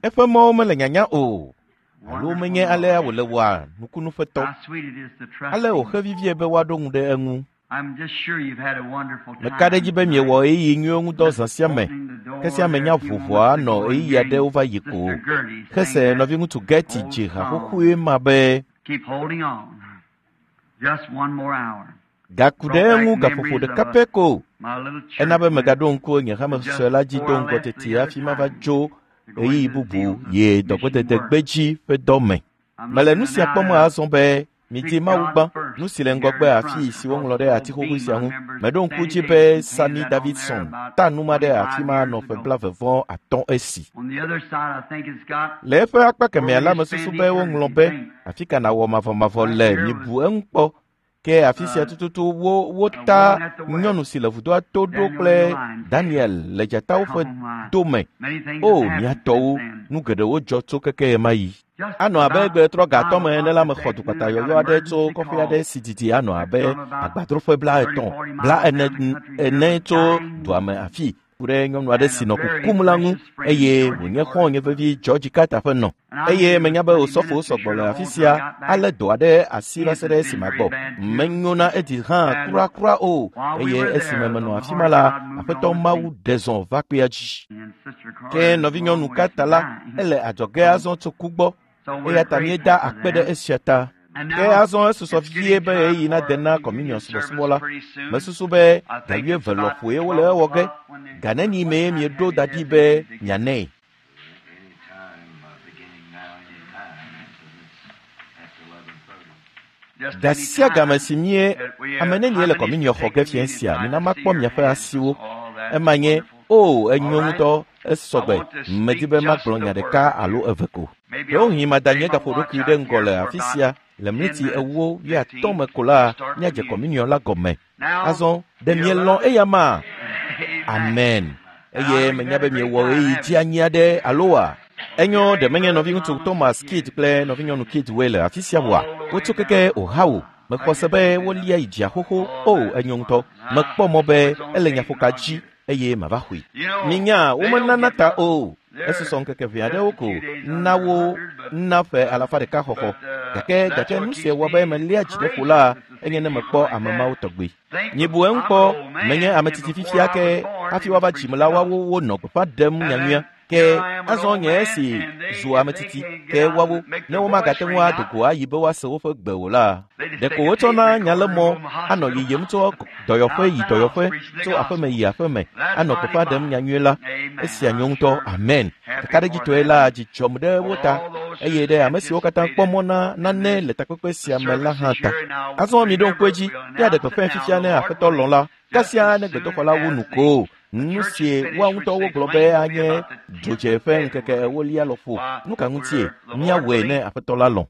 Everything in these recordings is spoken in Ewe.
Eƒe mɔwo mele nyanya o alo menye alea wòle wɔa nukunuƒetɔ. Ale wòxe vivie be woaɖo ŋu ɖe eŋu. Meka ɖe edzi be miewɔ ɣeyiɣi nyuiwo ŋu dɔ zã sia me. Ke sia me nya vovoa nɔ ɣeyiɣi aɖewo va yi ko. Hese nɔviŋutsu Gertie dzi ha xoxoe ma be, Gaku ɖe eŋu gaƒoƒo ɖeka pɛ ko. Ena be megaɖo ŋku nye hame sue la dzi do ŋgɔ teti hafi mava dzo ɣeyiɣi bubu yi dɔgbedede gbedzi ƒe dɔ me. Mele nu sia kpɔm azɔ be midi Mawu gbã, nu si le ŋgɔgbe afii si woŋlɔ ɖe ati xoxoe sia ŋu. Meɖo ŋku dzi be Sammy Davidson ta nu ma ɖe afi ma nɔ ƒe 35 esi. Le eƒe akpa kemɛa la mesusu be woŋlɔ be, afi ka nàwɔ mavɔmavɔ le mibu eŋu kpɔ. Ke afi sia tututu wo wota nyɔnu si le vudoa to ɖo kple Daniel le dzatawo ƒe do me. O, mía tɔwo, nu geɖewo dzɔ tso keke ɣemaɣi. Anɔ abe gbe trɔ gatɔ me ene la mexɔ dukpata yɔyɔ aɖe tso kɔƒe aɖe si didi anɔ abe agbadroƒe 30, 40 ene tso dua me afi ku ɖe nyɔnu aɖe si nɔ kukum la ŋu eye wònye xɔ̃nye vevi George Carter ƒe nɔ. Eye menya be osɔfowo sɔgbɔ le afi sia alé dɔ aɖe asi va se ɖe esi magbɔ. Menyo na Edi hã kurakura o eye esime menɔ afi ma la, Aƒetɔ Mawu ɖe zɔ va kpea dzi. Ke nɔvinyɔnu Carter la, ele adzɔge azɔ tso ku gbɔ eya ta míeda akpe ɖe esia ta. Ke azɔ esusɔ vie be ɣeyiɣi nade na kɔminiɔn subɔsubɔ la. Mesusu be ga 20 lɔƒoe wole ewɔ ge. Ga neni mee mieɖo da ɖi be mianɛ? Ga sia game si mie ame nenie le kɔminiɔn xɔ ge fiẽ sia, mina makpɔ miaƒe asiwo. Ema nye, o, enyo ŋutɔ, esɔgbe. Medi be magblɔ nya ɖeka alo eve ko. Ɖewohĩ mada nye gaƒoɖokui ɖe ŋgɔ le afi sia le mliti 40, 80 me ko la, míadze kɔminiɔn la gɔme. Azɔ, ɖe mielɔ̃ eya ma? Amen. Eye menya be miewɔ ɣeyiɣi dzeanyi aɖe alo wa? Enyo, ɖe menye nɔviŋutsu Thomas Kidd kple nɔvinyɔnu Kidd woe le afi sia oa? Wotso keke Ohio. Mexɔ se be wolia yi dzia xoxo. O, enyo ŋutɔ. Mekpɔ mɔ be ele nyaƒoka dzi eye mava xɔe. Minya, womenana ta o. Esusɔ ŋkeke ʋɛ aɖewo ko na wo na ƒe 100 xɔxɔ. Gake nu si wɔ be meléa dzi ɖe ƒo la enye ne mekpɔ ame mawo tɔgbe. Mibu eŋu kpɔ, menye ame tsitsi fifia ke hafi woava dzim la woawo wonɔ gbeƒã ɖem nyanyuia. Ke azɔ nye esi zu ame tsitsi ke woawo ne womagate ŋu ado go ayi be woase woƒe gbe o la, ɖeko wotsɔna nyalemɔ anɔ yiyim tso dɔyɔƒe yi dɔyɔƒe, tso aƒeme yi aƒeme, anɔ gbeƒã ɖem nyanyuie la. Esia nyo ŋutɔ. Amen. Kakaɖedzitɔe la dzi dzɔm ɖe wo ta eye ɖe ame siwo katã kpɔ mɔ na nane le takpekpe sia me la hã ta. Azɔ miɖo ŋku edzi, míaɖe gbeƒãe fifia ne Aƒetɔ lɔ̃ la, kasia ne gbedoxɔ la wu nu ko. Nu si woa ŋutɔ wogblɔ be anye dzodze ƒe ŋkeke 40 lɔƒo. Nu ka ŋutie míawɔe ne Aƒetɔ la lɔ̃?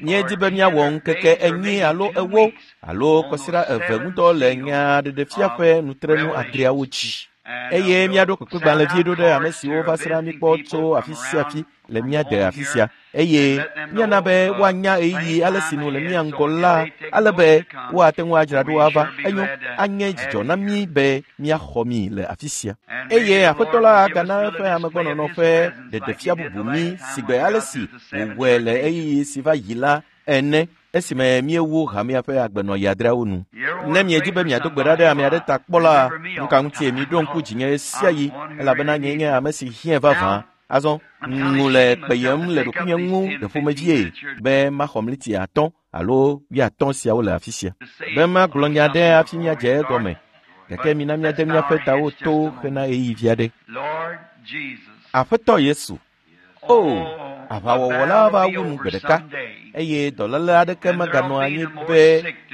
Míedi be míawɔ ŋkeke 4 alo 4 alo kɔsiɖa 2 ŋudɔ le nyaɖeɖefia ƒe nutrenu 6 dzi. Eye míaɖo kpekpegbalẽvi ɖo ɖe ame siwo va srã mí kpɔ tso afi sia afi le mía de afi sia. Eye míana be woanya ɣeyiɣi ale si nu le mía ŋgɔ la, ale be woate ŋu adzra ɖo ava. Enyo, anye dzidzɔ na mí be míaxɔ mi le afi sia. Eye Aƒetɔ la agana eƒe amegbɔnɔnɔ ƒe ɖeɖefia bubu mí sigbe ale si wòwɔe le ɣeyiɣi si va yi la ene esime míewu hamea ƒe agbenɔɣi 6 nu. Ne miedi be miado gbe ɖa ɖe ame aɖe ta kpɔ la, nu ka ŋutie miɖo ŋku dzinye ɣesiaɣi, elabena nyee nye ame si hiãe vavã. Azɔ, ŋu le kpeyem le ɖokuinye ŋu ɖe ƒomevie be maxɔ mliti 5 alo 50 siawo le afi sia. Be magblɔ nya ɖe hafi míadze egɔme. Gake mina míade míaƒe tawo to hena ɣeyiɣi vi aɖe. Aƒetɔ Yesu, o, aʋawɔwɔ la va wu nu gbe ɖeka eye dɔléle aɖeke meganɔ anyi be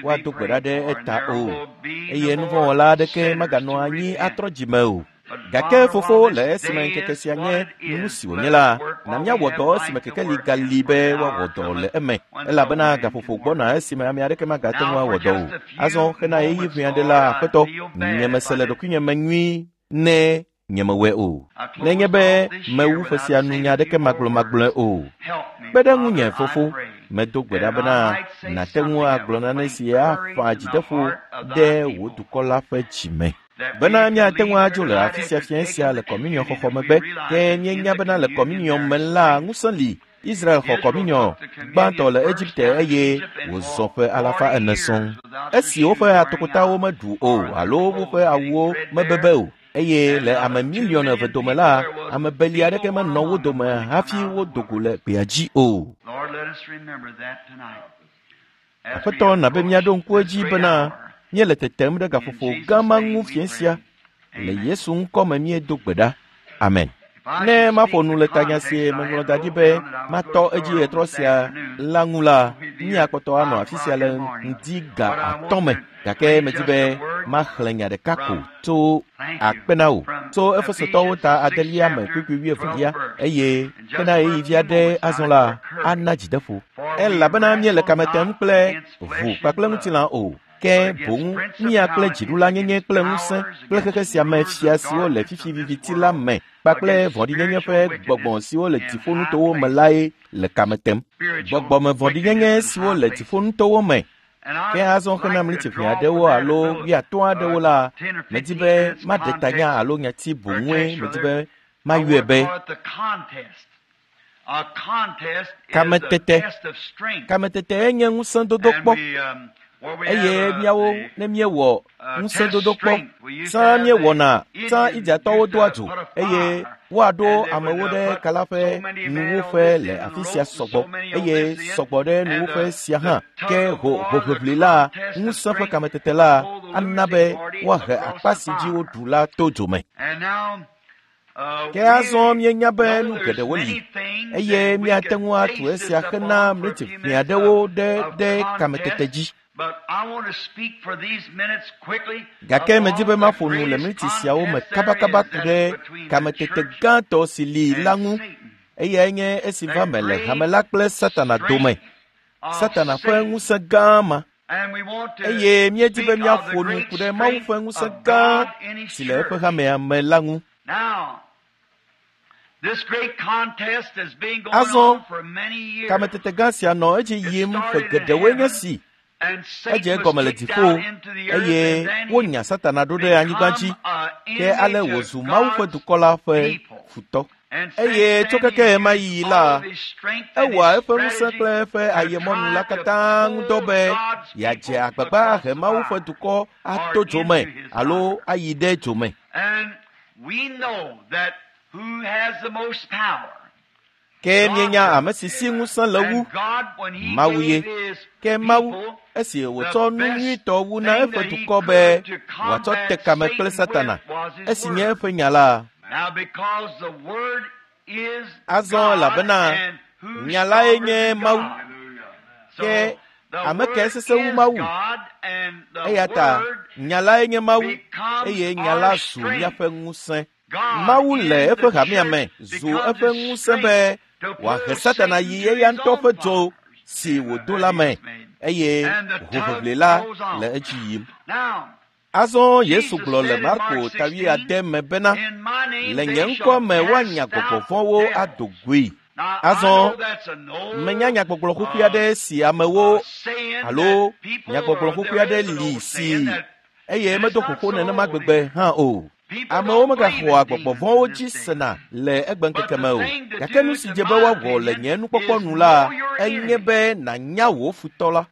woado gbe ɖa ɖe eta o eye nuvɔ̃wɔla aɖeke meganɔ anyi atrɔ dzime o. Gake fofo, le esime ŋkeke sia nye nu si wònye la, na míawɔ dɔ esime kekeli gali be woawɔ dɔ le eme, elabena gaƒoƒo gbɔna esime ame aɖeke magate ŋu awɔ dɔ o. Azɔ hena ɣeyiɣi ʋɛ aɖe la, Aƒetɔ, nyemese le ɖokuinye me nyui ne nyemewɔe o. Nenye be mewu ƒe sia nu nya aɖeke magblɔmagblɔe o. Kpe ɖe ŋunye, fofo, medo gbe ɖa bena nàte ŋu agblɔ nane si aƒã dzideƒo ɖe wò dukɔ la ƒe dzime. Bena míate ŋu adzo le afi sia fiẽ sia le kɔminiɔ xɔxɔ megbe, ke míenya bena le kɔminiɔ me la ŋusẽ li. Israel xɔ kɔminiɔ gbãtɔ le Egipte eye wòzɔ ƒe alafa ene sɔŋ. Esi woƒe atokotawo meɖu o alo woƒe awuwo mebebe o, eye le ame miliɔn eve dome la, ame beli aɖeke menɔ wo dome hafi wodo go le gbea dzi o. Aƒetɔ na be míaɖo ŋku edzi bena míele tetem ɖe gaƒoƒo gã ma ŋu fiẽ sia. Le Yesu ŋkɔ me míedo gbe ɖa. Amen. Ne maƒo nu le tanya si meŋlɔ da ɖi be matɔ edzi ɣetrɔ sia la ŋu la, míakpɔtɔ anɔ afi sia le ŋdi ga atɔ̃ me. Gake medi be maxlẽ nya ɖeka ko tso akpe na wò tso Efesotɔwo ta adelia me kpukpui wuievelia eye hena ɣeyiɣi vi aɖe azɔ la ana dzideƒo. Elabena míele kame tem kple ʋu kpakple ŋutilã o, ke boŋ mía kple dziɖulanyenye kple ŋusẽ kple xexe sia me fia siwo le fifi viviti la me kpakple vɔ̃ɖinyenye ƒe gbɔgbɔ siwo le dziƒonutowo me lae le kame tem. Gbɔgbɔme vɔ̃ɖinyenye siwo le dziƒonutowo me. Ke azɔ hena mliti ʋɛ aɖewo alo wuiatɔ̃ aɖewo la, medi be maɖe tanya alo nyati boŋue medi be mayɔe be kametete. Kametete enye ŋusẽdodo kpɔ eye míawo ne míewɔ ŋusẽdodo kpɔ tsã míewɔna tsã Indiatɔwo doa dzo eye woaɖo amewo ɖe kala ƒe nuwuƒe le afi sia sɔgbɔ eye sɔgbɔ ɖe nuwuƒe sia hã ke hoʋiʋli la ŋusẽ ƒe kametete la ana be woahe akpa si dzi woɖu la to dzo me. Ke azɔ míenya be nu geɖewo li eye míate ŋu atu esia hena mliti ʋɛ aɖewo ɖe kametete dzi. Gake medi be maƒo nu le mliti siawo me kabakaba ku ɖe kametete gãtɔ si li la ŋu. Eyae nye esi va me le hame la kple Satana dome. Satana ƒe ŋusẽ gã ma. Eye míedi be míaƒo nu ku ɖe Mawu ƒe ŋusẽ gã si le eƒe hamea me la ŋu. Azɔ, kametete gã sia nɔ edzi yim ƒe geɖewoe nye si. Edze egɔme le dziƒo eye wonya Satana ɖo ɖe anyigba dzi ke ale wòzu Mawu ƒe dukɔ la ƒe futɔ. Eye tso keke ɣemaɣi la, ewɔa eƒe ŋusẽ kple eƒe ayemɔnu la katã ŋudɔ be yeadze agbagba ahe Mawu ƒe dukɔ ato dzo me alo ayi ɖe dzo me. Ke míenya ame si si ŋusẽ le wu, Mawu ye. Ke Mawu, esi wòtsɔ nu nyuitɔ wu na eƒe dukɔ be wòatsɔ te kame kple Satana, esi nye eƒe nya la. Azɔ elabena nya lae nye Mawu. Ke ame kae sesẽ wu Mawu? Eya ta nya lae nye Mawu eye nya la zu míaƒe ŋusẽ. Mawu le eƒe hamea me zu eƒe ŋusẽ be wòahe Satana yi eya ŋutɔ ƒe dzo si wòdo la me eye hoʋiʋli la le edzi yim. Azɔ Yesu gblɔ le Marko ta wuiade me bena, le nye ŋkɔ me woanya gbɔgbɔ vɔ̃wo ado goe. Azɔ menya nyagbɔgblɔ xoxoe aɖe si amewo alo nyagbɔgblɔ xoxoe aɖe li si eye medo xoxo nenema gbegbe hã o. Amewo megaxɔa gbɔgbɔ vɔ̃wo dzi sena le egbeŋkeke me o. Gake nu si dze be woawɔ le nye nukpɔkpɔ nu la enye be nànya wò futɔ la.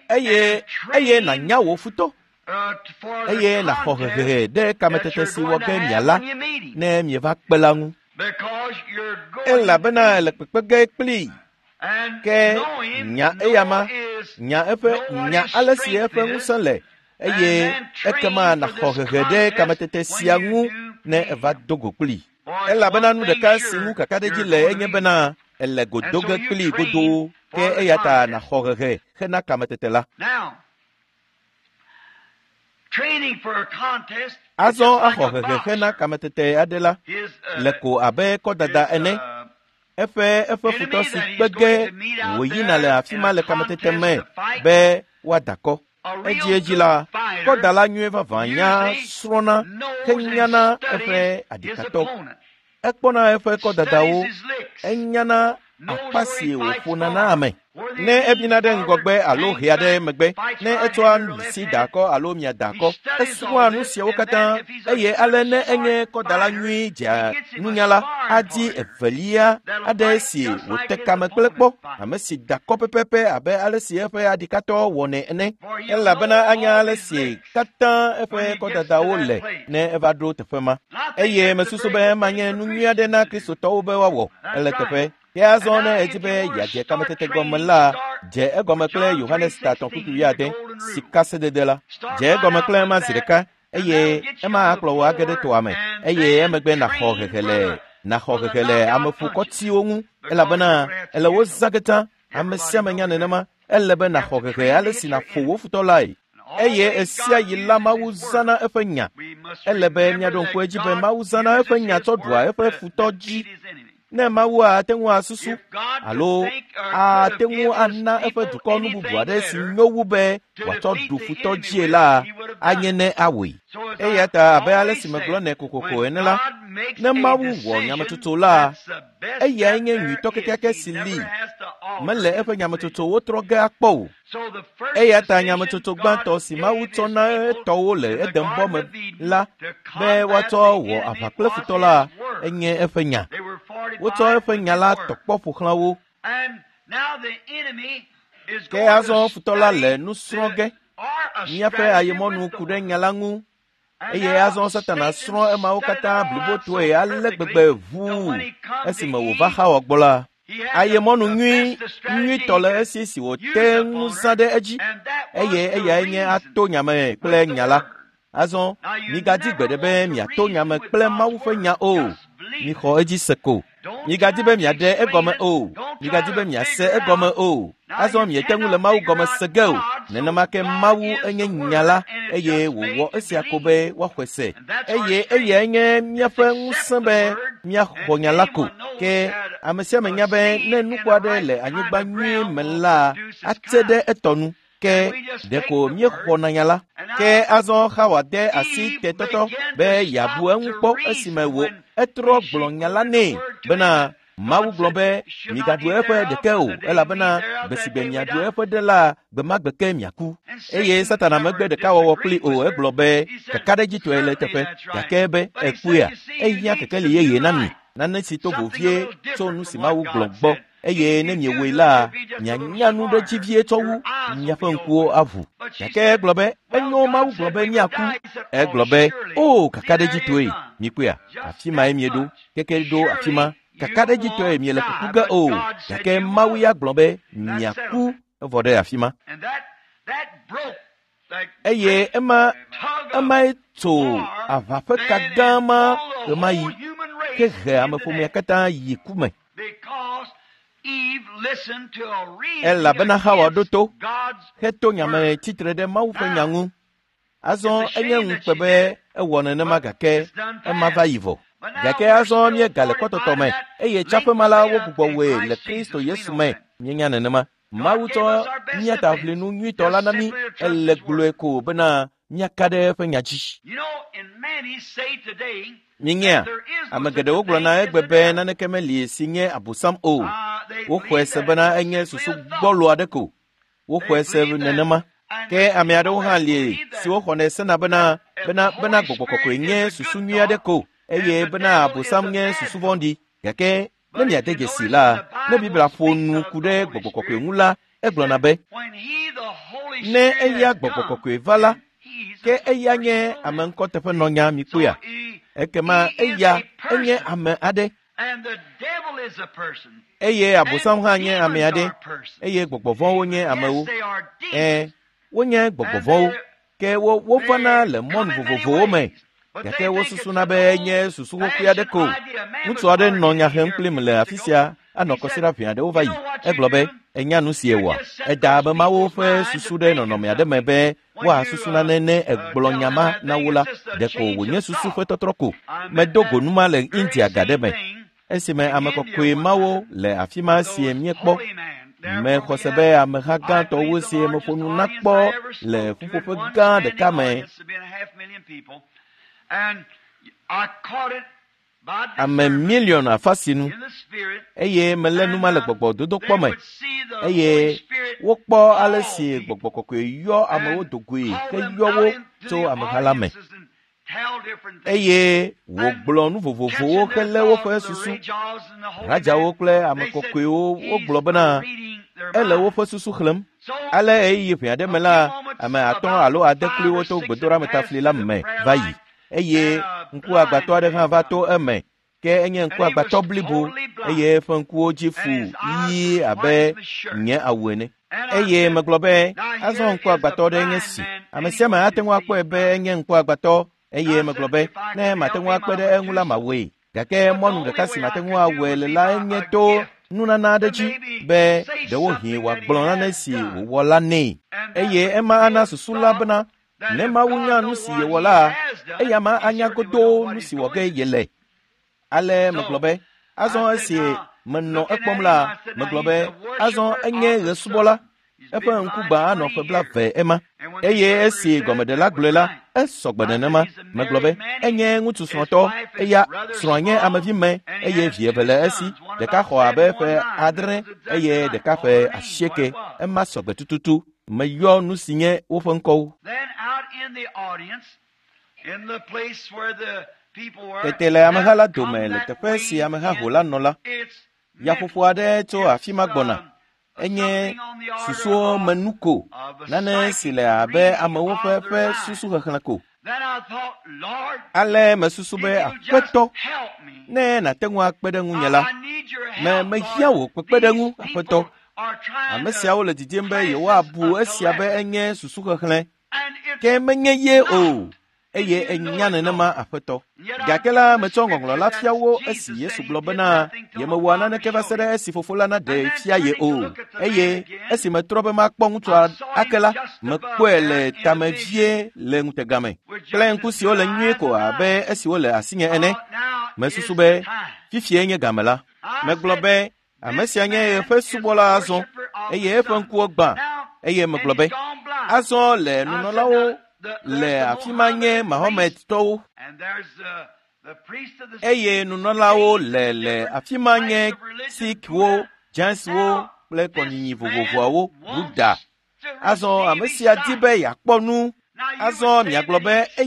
Eye eye nànya wò futɔ. Eye nàxɔ hehe ɖe kametete si wɔ ge miala ne mieva kpe la ŋu. Elabena ele kpekpe ge kplii. Ke nya eyama, nya eƒe nya ale si eƒe ŋusẽ le eye ekema nàxɔ hehe ɖe kametete sia ŋu ne eva do go kplii. Elabena nu ɖeka si ŋu kakaɖedzi le enye bena ele go do ge kplii godoo ke eya ta nàxɔ hehe hena kametete la. Azɔ axɔ hehe hena kametete aɖe la le ko abe kɔdada ene. Eƒe eƒe futɔ si kpe ge wòyina le afi ma le kametete me be woada kɔ. Edziedzi la, kɔdala nyuie vavã nya srɔ̃na henyana eƒe aɖikatɔ. Ekpɔna eƒe kɔdadawo, enyana Akpa si wòƒona na ame. Ne ebina ɖe ŋgɔgbe alo hea ɖe megbe, ne etsɔa nuɖusi da akɔ alo mia da akɔ, esrɔ̃a nu siawo katã eye ale ne enye kɔdala nyui dzea nunyala, adi evelia aɖe si wòte kame kple kpɔ, ame si da kɔ pɛpɛpɛ abe ale si eƒe aɖikatɔ wɔnɛ ene, elabena anya ale si katã eƒe kɔdadawo le ne eva ɖo teƒe ma. Eye mesusu be ema nye nu nyui aɖe na Kristotɔwo be woawɔ ele teƒe. Ke azɔ ne edzi be yeadze kametete gɔme la, dze egɔme kple Yohanes ta 3:20, sikasedede la. Dze egɔme kple ema zi ɖeka eye ema akplɔ wò age ɖe toa me eye emegbe nàxɔ hehe le nàxɔ hehe le ameƒokɔtiwo ŋu elabena ele wo zã katã. Ame sia ame nya nenema. Ele be nàxɔ hehe ale si nàƒo wò futɔ lae. Eye esia yi la Mawu zãna eƒe nya. Ele be míaɖo ŋku edzi be Mawu zãna eƒe nya tsɔ ɖua eƒe futɔ dzi. Ne Mawu ate ŋu asusu alo ate ŋu ana eƒe dukɔ nu bubu aɖe si nyo wu be wòatsɔ ɖu futɔ dzie la, anye ne awɔe. Eya ta abe ale si megblɔ nɛ kokoko ene la, ne Mawu wɔ nyametsotso la, eyae nye nyuitɔ kekeake si li. Mele eƒe nyametsotsowo trɔ ge akpɔ o. Eya ta nyametsotso gbãtɔ si Mawu tsɔ na etɔwo le Edenbɔ me la be woatsɔ wɔ aʋa kple futɔ la enye eƒe nya. Wotsɔ eƒe nya la tɔ kpɔ ƒo xlã wo. Ke azɔ futɔ la le nu srɔ̃ ge. Míaƒe ayemɔnu ku ɖe nya la ŋu eye azɔ Satana srɔ̃ emawo katã blibotɔe ale gbegbe ʋuu esime wòva Xawa gbɔ la. Ayemɔnu nyui nyuitɔ le esi si wòte ŋu zã ɖe edzi eye eyae nye ato nyame kple nya la. Azɔ migadi gbeɖe be miato nyame kple Mawu ƒe nya o. Mixɔ edzi se ko. Migadi be miaɖe egɔme o. Migadi be miase egɔme o. Azɔ miete ŋu le Mawu gɔme se ge o. Nenema ke Mawu enye nya la eye wòwɔ esia ko be woaxɔe se. Eye eyae nye míaƒe ŋusẽ be míaxɔ nya la ko. Ke ame sia ame nya be ne nuku aɖe le anyigba nyui me la, atse ɖe etɔ nu. Ke ɖeko míexɔna nya la. Ke azɔ Xawa de asi tetɔtɔ be yeabu eŋu kpɔ esime wò etrɔ gblɔ nya la nɛ bena Mawu gblɔ be migaɖu eƒe ɖeke o elabena gbe si gbe miaɖu eƒe ɖe la gbe ma gbe ke miaku. Eye Satana megbe ɖekawɔwɔ kpli o egblɔ be kakaɖedzitɔe le eteƒe gake be ekpɔea ehiã kekeli yeye na mi nane si to vovie tso nu si Mawu gblɔ gbɔ eye ne miewɔe la mianya nu ɖe dzi vie tsɔ wu miaƒe ŋkuwo aʋu. Gake egblɔ be enyo Mawu gblɔ be míaku. Egblɔ be o kakaɖedzitɔe mikpɔea afi mae mieɖo keke ɖo afi ma. Kakaɖedzitɔe miele kuku ge o gake Mawu ya gblɔ be miaku evɔ ɖe afi ma. Eye emae tso aʋa ƒe ka gã ma ɣemaɣi hehe ameƒomea katã yi ku me. Elabena Xawa ɖo to heto nyame tsitre ɖe Mawu ƒe nya ŋu. Azɔ enye ŋukpe be ewɔ nenema gake ema va yi vɔ. Gake azɔ míegale kɔtɔtɔ me eye tsaƒe ma la wogbugbɔ wɔe le Kristo Yesu me. Míenya nenema. Mawu tsɔ mía taʋlinu nyuitɔ la na mí ele gblɔe ko bena míaka ɖe eƒe nya dzi. Mínyea, ame geɖewo gblɔna egbe be naneke meli si nye Abosam o. Woxɔe se bena enye susu gbɔlo aɖe ko. Woxɔe se nenema. Ke ame aɖewo hã li siwo xɔnɛ sena bena bena bena gbɔgbɔ kɔkɔe nye susu nyui aɖe ko eye bena Abosam nye susu vɔ̃ɖi. Gake ne miade dzesi la, ne Biblia ƒo nu ku ɖe gbɔgbɔ kɔkɔe ŋu la, egblɔna be ne eya gbɔgbɔ kɔkɔe va la, ke eya nye ame ŋkɔteƒenɔnya mikpɔea. Ekema eya enye ame aɖe. Eye Abosam hã nye ame aɖe eye gbɔgbɔ vɔ̃wo nye amewo. Ɛ̃, wonye gbɔgbɔ vɔ̃wo ke wovana le mɔnu vovovowo me gake wosusuna be enye susu xoxoe aɖe ko. Ŋutsu aɖe nɔ nya hem kplim le afi sia anɔ kɔsiɖa ʋɛ aɖewo va yi. Egblɔ be enya nu si ewɔa. Eda abe Mawu ƒe susu ɖe nɔnɔme aɖe me be woasusu nane ne egblɔ nya ma na wo la ɖeko wònye susu ƒe tɔtrɔ ko. Medo go nu ma le India ga ɖe me esime ame kɔkɔe mawo le afi ma sie míekpɔ. Mexɔ se be ameha gãtɔwo sie meƒo nu na kpɔ le ƒuƒoƒe gã ɖeka me. Ame miliɔn afa sinu eye melé nu ma le gbɔgbɔ dodokpɔ me eye wokpɔ ale si gbɔgbɔ kɔkɔe yɔ amewo dogoe ke yɔ wo tso ameha la me eye wògblɔ nu vovovowo helé woƒe susu. Radzawo kple ame kɔkɔewo wogblɔ bena ele woƒe susu xlẽm. Ale ɣeyiɣi ʋɛ aɖe me la, ame 5 alo 6 kloe woto gbedoɖametafli la me va yi eye ŋkuagbatɔ aɖe hã va to eme ke enye ŋkuagbatɔ blibo eye eƒe ŋkuwo dzi fu ɣie abe nye awu ene. Eye megblɔ be azɔ ŋkuagbatɔ ɖe nye si. Ame sia ame ate ŋu akpɔe be enye ŋkuagbatɔ eye megblɔ be ne mate ŋu akpe ɖe eŋu la mawɔe. Gake mɔnu ɖeka si mate ŋu awɔe le la enye to nunana aɖe dzi be ɖewohĩ wòagblɔ nane si wòwɔ la nɛ. Eye ema ana susu la bena ne Mawu nya nu si yewɔ la, eya ma anya godoo nu si wɔ ge yele. Ale megblɔ be azɔ esi menɔ ekpɔm la, megblɔ be azɔ enye ɣesubɔla. Eƒe ŋku gbã anɔ ƒe 20 ema. Eye esi gɔmeɖela gblɔe la, esɔgbe nenema. Megblɔ be enye ŋutsu srɔ̃tɔ, eya srɔ̃a nye amevi me eye vi eve le esi. Ɖeka xɔ abe ƒe 8 eye ɖeka ƒe 8. Ema sɔgbe tututu. Meyɔ nu si nye woƒe ŋkɔwo. Tete le ameha la dome le teƒe si ameha ho la nɔ la, yaƒoƒo aɖe tso afi ma gbɔna. Enye susuwo me nu ko, nane si le abe amewo ƒe susu xexlẽ ko. Ale mesusu be Aƒetɔ, ne nàte ŋu akpe ɖe ŋunye la, mehiã wò kpekpeɖeŋu, Aƒetɔ. Ame siawo le didim be yewoabu esia be enye susu xexlẽ, ke menye ye o. Eye enya nenema, Aƒetɔ. Gake la metsɔ ŋɔŋlɔ la fia wo esi Yesu gblɔ bena yemewɔa naneke va se ɖe esi fofo la naɖee fia ye o. Eye esi metrɔ be makpɔ ŋutsua ake la, mekpɔe le tame vie le ŋutega me kple ŋku siwo le nyuie ko abe esiwo le asinye ene. Mesusu be fifie nye game la. Megblɔ be ame sia nye eƒe subɔla azɔ eye eƒe ŋkuwo gbã. Eye megblɔ be azɔ le nunɔlawo le afi ma nye Mahometɔwo eye nunɔlawo le afi ma nye Sikhwo, Jainswo kple kɔnyinyi vovovoawo Buddha. Azɔ ame sia di be yeakpɔ nu. Azɔ miagblɔ be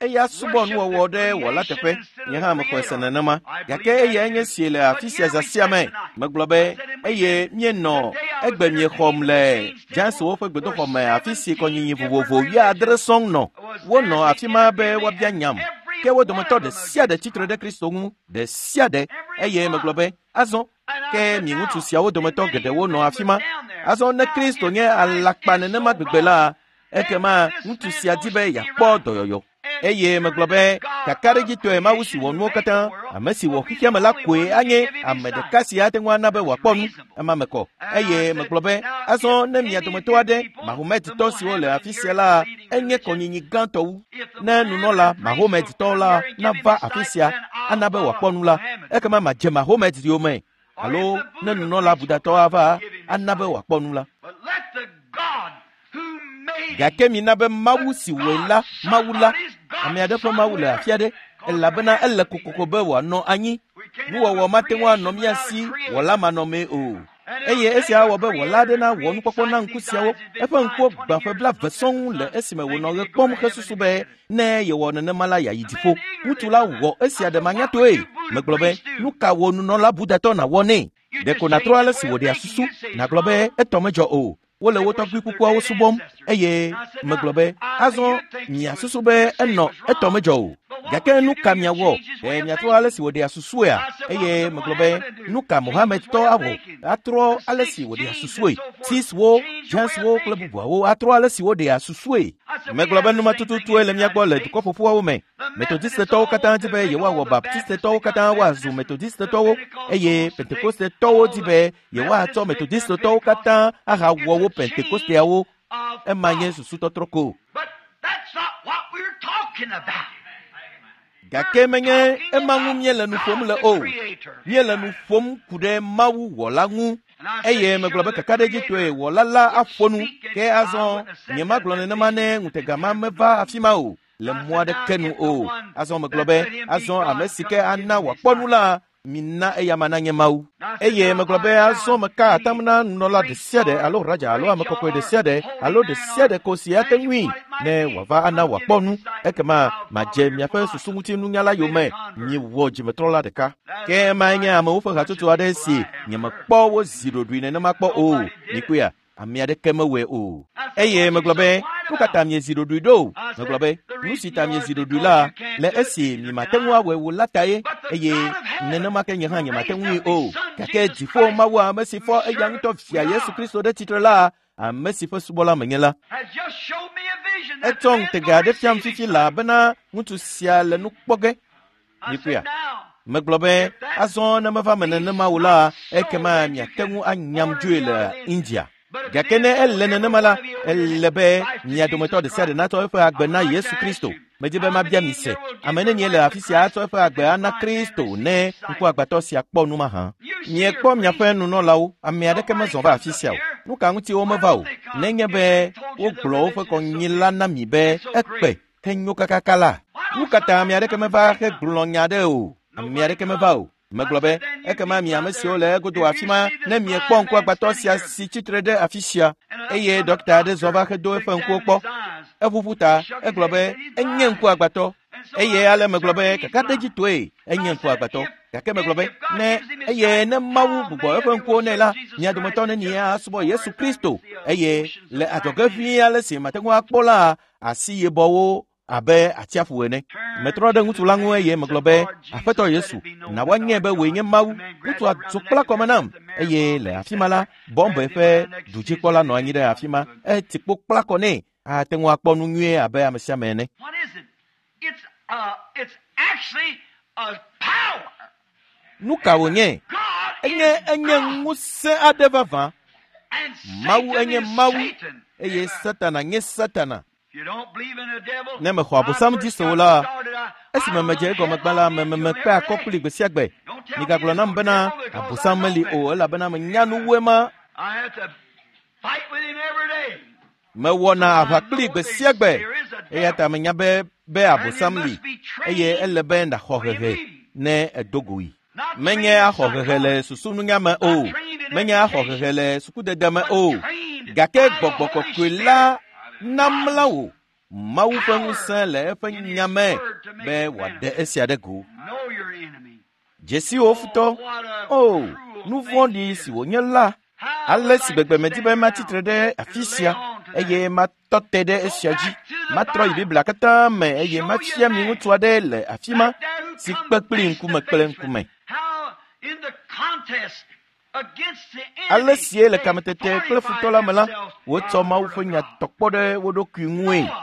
eya subɔ nuwɔwɔ ɖe wɔla teƒe. Nye hã mexɔe se nenema. Gake eya enye si le afi sia zã sia me. Megblɔ be eye míenɔ egbe miexɔm le Jainswo ƒe gbedoxɔ me afi si kɔnyinyi vovovo 70 sɔŋ nɔ. Wonɔ afi ma be woabia nyam. Ke wo dometɔ ɖe sia ɖe tsitre ɖe Kristo ŋu, ɖe sia ɖe. Eye megblɔ be azɔ ke mi ŋutsu siawo dometɔ geɖewo nɔ afi ma. Azɔ ne Kristo nye alakpa nenema gbegbe la, ekema ŋutsu sia di be yeakpɔ dɔyɔyɔ. Eye megblɔ be kakaɖedzitɔe Mawu si wɔ nuwo katã, ame si wɔ xexea me la koe anye ame ɖeka si ate ŋu ana be wòakpɔ nu. Ema me kɔ. Eye megblɔ be azɔ ne mia dometɔ aɖe Mahometɔ siwo le afi sia la enye kɔnyinyi gãtɔ wu. Ne nunɔla Mahometɔ la nava afi sia ana be wòakpɔ nu la, ekema madze Mahomet yome. Alo ne nunɔla Budatɔ ava ana be wòakpɔ nu la. Gake mina be Mawu si wɔe la, Mawu la, ame aɖe ƒe Mawu le afi aɖe, elabena ele kokoko be wòanɔ anyi. Nuwɔwɔ mate ŋu anɔ mía si wɔla manɔmee o. Eye esia awɔ be wɔla aɖe nawɔ nukpɔkpɔ na ŋku siawo. Eƒe ŋkuwo gbã ƒe 20 sɔŋ le esime wònɔ ɣe kpɔm hesusu be ne yewɔ nenema la yeayi dziƒo. Ŋutsu la wɔ esia ɖe manyatoe. Megblɔ be nu ka wò nunɔla Budatɔ nàwɔ nɛ? Ɖeko nàtrɔ ale si wòɖea susu, nàgblɔ be etɔ medzɔ o. Wole wo tɔgbui kukuawo subɔm eye megblɔ be azɔ miasusu be enɔ etɔ medzɔ o. Gake nu ka miawɔ? Ɖe miatrɔ ale si wòɖea susuea? Eye megblɔ be nu ka Mohamedtɔ awɔ? Atrɔ ale si wòɖea susue. Sikhwo, Jainswo kple bubuawo atrɔ ale si woɖea susue. Megblɔ be numa tututue le mía gbɔ le dukɔ ƒoƒuawo me. Metodistetɔwo katã di be yewoawɔ Baptistetɔwo katã woazu Metodistetɔwo eye Pentekostetɔwo di be yewoatsɔ Metodistetɔwo katã ahawɔ wo Pentekosteawo. Ema nye susutɔtrɔ ko. Gake menye ema ŋu míele nu ƒom le o. Míele nu ƒom ku ɖe Mawu wɔla ŋu. Eye megblɔ be kakaɖedzitɔe wɔla la aƒo nu. Ke azɔ nyemagblɔ nenema ne ŋutega ma meva afi ma o. le mɔ aɖeke nu o. Azɔ megblɔ be, azɔ ame si ke ana wòakpɔ nu la, mina eyama nanye Mawu. Eye megblɔ be azɔ meka atam na nunɔla ɖe sia ɖe alo raja alo ame kɔkɔe ɖe sia ɖe alo ɖe sia ɖe ko si ate ŋui ne wòava ana wòakpɔ nu, ekema madze miaƒe susu ŋuti nunyala yome. Miwɔ dzimetrɔla ɖeka. Ke emae nye amewo ƒe hatsotso aɖe si nyemekpɔ wo zi ɖoɖoe nenema kpɔ o. Mikpɔea? Ame aɖeke mewɔe o. Eye megblɔ be, nu ka ta miezi ɖoɖoe ɖo? Megblɔ be, nu si ta miezi ɖoɖoe la, le esi miemate ŋu awɔe o la tae, eye nenema ke nye hã nyemate ŋui o. Gake dziƒo Mawu ame si fɔ eya ŋutɔ via Yesu Kristo ɖe tsitre la, ame si ƒe subɔla menye la, etsɔ ŋutega aɖe fiam fifi laa bena ŋutsu sia le nu kpɔ ge. Mikpɔea? Megblɔ be, azɔ ne meva me nenema o la, ekema miate ŋu anyam dzoe le India. Gake ne ele nenema la, ele be mia dometɔ ɖe sia ɖe natsɔ eƒe agbe na Yesu Kristo. Medzi be mabia mi se, ame nenie le afi sia atsɔ eƒe agbe ana Kristo ne ŋkuagbãtɔ sia kpɔ nu mahã? Miekpɔ miaƒe nunɔlawo, ame aɖeke mezɔ va afi sia o. Nu ka ŋuti womeva o? Nenye be wogblɔ woƒe kɔnyila na mi be ekpe henyo kakaka la, nu ka ta ame aɖeke meva hegblɔ nya aɖe o? Ame aɖeke meva o. Megblɔ be, ekema mi ame siwo le egodo afi ma, ne miekpɔ ŋkuagbãtɔ sia si tsitre ɖe afi sia, eye ɖɔkta aɖe zɔ va hedo eƒe ŋkuwo kpɔ. Eʋuʋu ta, egblɔ be, enye ŋkuagbãtɔ. Eye ale megblɔ be, kakaɖedzitɔe, enye ŋkuagbãtɔ. Gake megblɔ be, ne eye ne Mawu gbugbɔ eƒe ŋkuwo nɛ la, mia dometɔ nenie asubɔ Yesu Kristo, eye le adzɔge ʋĩi ale si mate ŋu akpɔ la, asi yibɔwo abe atsiaƒu ene. Metrɔ ɖe ŋutsu la ŋu eye megblɔ be, Aƒetɔ Yesu, na woanyae be wòe nye Mawu. Ŋutsua dzo kpla kɔme nam eye le afi ma la, Bɔmbe ƒe dudzikpɔla nɔ anyi ɖe afi ma. Eti kpo kpla kɔ nɛ ate ŋu akpɔ nu nyuie abe ame sia ame ene. What is it? It's actually a power. Nu ka wònye? God Enye is enye God. ŋusẽ aɖe vavã. And Mawu Satan enye is Mawu Satan. eye Satana nye Satana. If you don't believe in the devil, Ne mexɔ Abosam dzi se o la, esime medze egɔme gbã la, memekpe akɔ kpli gbe sia gbe. Migagblɔ nam bena Abosam meli o elabena menya nu wu ema. I have to fight with him every day. Mewɔna aʋa kpli gbe sia gbe. Eya ta menya be be Abosam li eye ele be nàxɔ hehe ne edo goe. Not Menye axɔ hehe le susununya me o, menye axɔ hehe le sukudede me o, gake gbɔgbɔ kɔkɔe la namla wò Mawu ƒe ŋusẽ le eƒe nya me be wòaɖe esia ɖe go. Know your enemy. Dzesiwo futɔ, o, nu vɔ̃ɖi si wònye la, ale si gbegbe medi be matsitre ɖe afi sia eye matɔ te ɖe esia dzi. Matrɔ yi Biblia katã me eye mafia mi ŋutsu aɖe le afi ma si kpe kpli ŋkume kple ŋkume. How in the contest against the enemy, Ale sie le they kametete kple futɔ la me la, fortified wotsɔ themselves Mawu by ƒe the nya word of tɔ kpɔ ɖe wo ɖokui ŋue. God.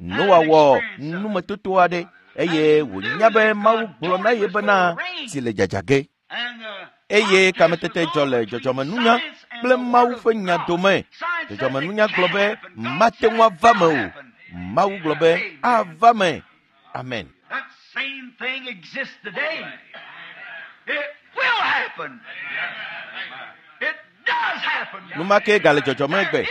Noa wɔ numetoto aɖe eye wònya be Mawu gblɔ na ye bena tsi le dzadza ge. And the Eye contest kametete was dzɔ le on between dzɔdzɔmenunya science and kple the Mawu word of ƒe nya God. dome. Science says it Dzɔdzɔmenunya gblɔ can't be happen. God mate said ŋu it ava me will o. happen. Mawu gblɔ be ava me. Amen. That same thing exists today. It will happen. It does happen. Numa ke gale dzɔdzɔme gbe.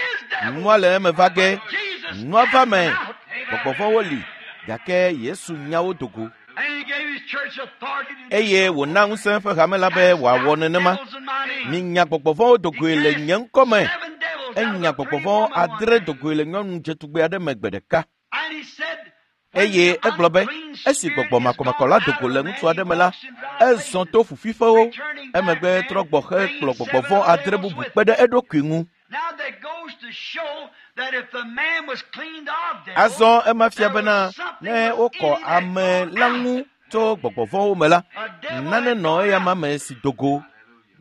Nua le eme va ge. Jesus Nua va me. cast them out. Gbɔgbɔ vɔ̃wo li gake Yesu nya wo do go. And he gave his church authority to do Eye so. wòna ŋusẽ ƒe hame la be wòawɔ nenema. Devils in my name. Minya gbɔgbɔ vɔ̃wo do goe le nye ŋkɔ me. Seven devils out of Enya a gbɔgbɔ pretty vɔ̃ woman one adre day. do goe le nyɔnu dzetugbe aɖe me gbe ɖeka. And he said, when Eye the egblɔ be unclean esi spirit gbɔgbɔ is makɔmakɔ gone la do out go of le a man, ŋutsu aɖe he me la, walks in dry ezɔ places. to fufiƒewo. Returning back Emegbe then, trɔ gbɔ hekplɔ bringing gbɔgbɔ seven vɔ̃ other adre devils bubu with kpe him. ɖe eɖokui ŋu. Now that goes to show that if the man was cleaned of devils, Azɔ ema fia there bena was something ne within wokɔ him that ame gone la out. ŋu tso gbɔgbɔ vɔ̃wo me la, A devil nane had nɔ gone eyama out. me si do go.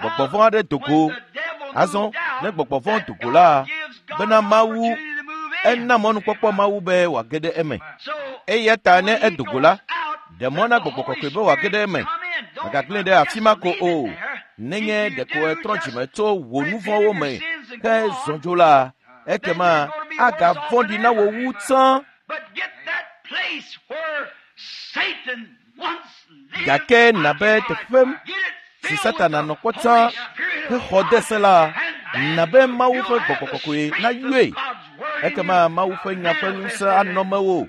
Gbɔgbɔ Now, vɔ̃ aɖe do when go. the devil Azɔ moved out, ne gbɔgbɔ vɔ̃ that do go la, God gives God bena an Mawu opportunity to move in. ena mɔnukpɔkpɔ Mawu be wòage ɖe eme. So Eya ta ne when he edo go la, goes out, ɖe mɔ let na the gbɔgbɔ Holy kɔkɔe be wòage Spirit ɖe eme. come in. Don't Mègagblẽe ɖe afi just ma ko leave it o. there. If Nenye you ɖeko do, etrɔ just dzime tso wò nu repent vɔ̃wo of your me sins and go he on. zɔ dzo la, Then ekema you're going to be worse off agavɔ̃ɖi than na wò ever. wu tsã. But get that place where Satan once lived Gake nabe occupied. teƒe Get it si filled with Satana the nɔ kpɔ Holy tsã Spirit of hexɔ de God, se la, and nabe then Mawu you'll ƒe have gbɔgbɔ the kɔkɔe strength nayɔe. of God's word in Ekema you Mawu ƒe nya ƒe ŋusẽ manifested anɔ mewò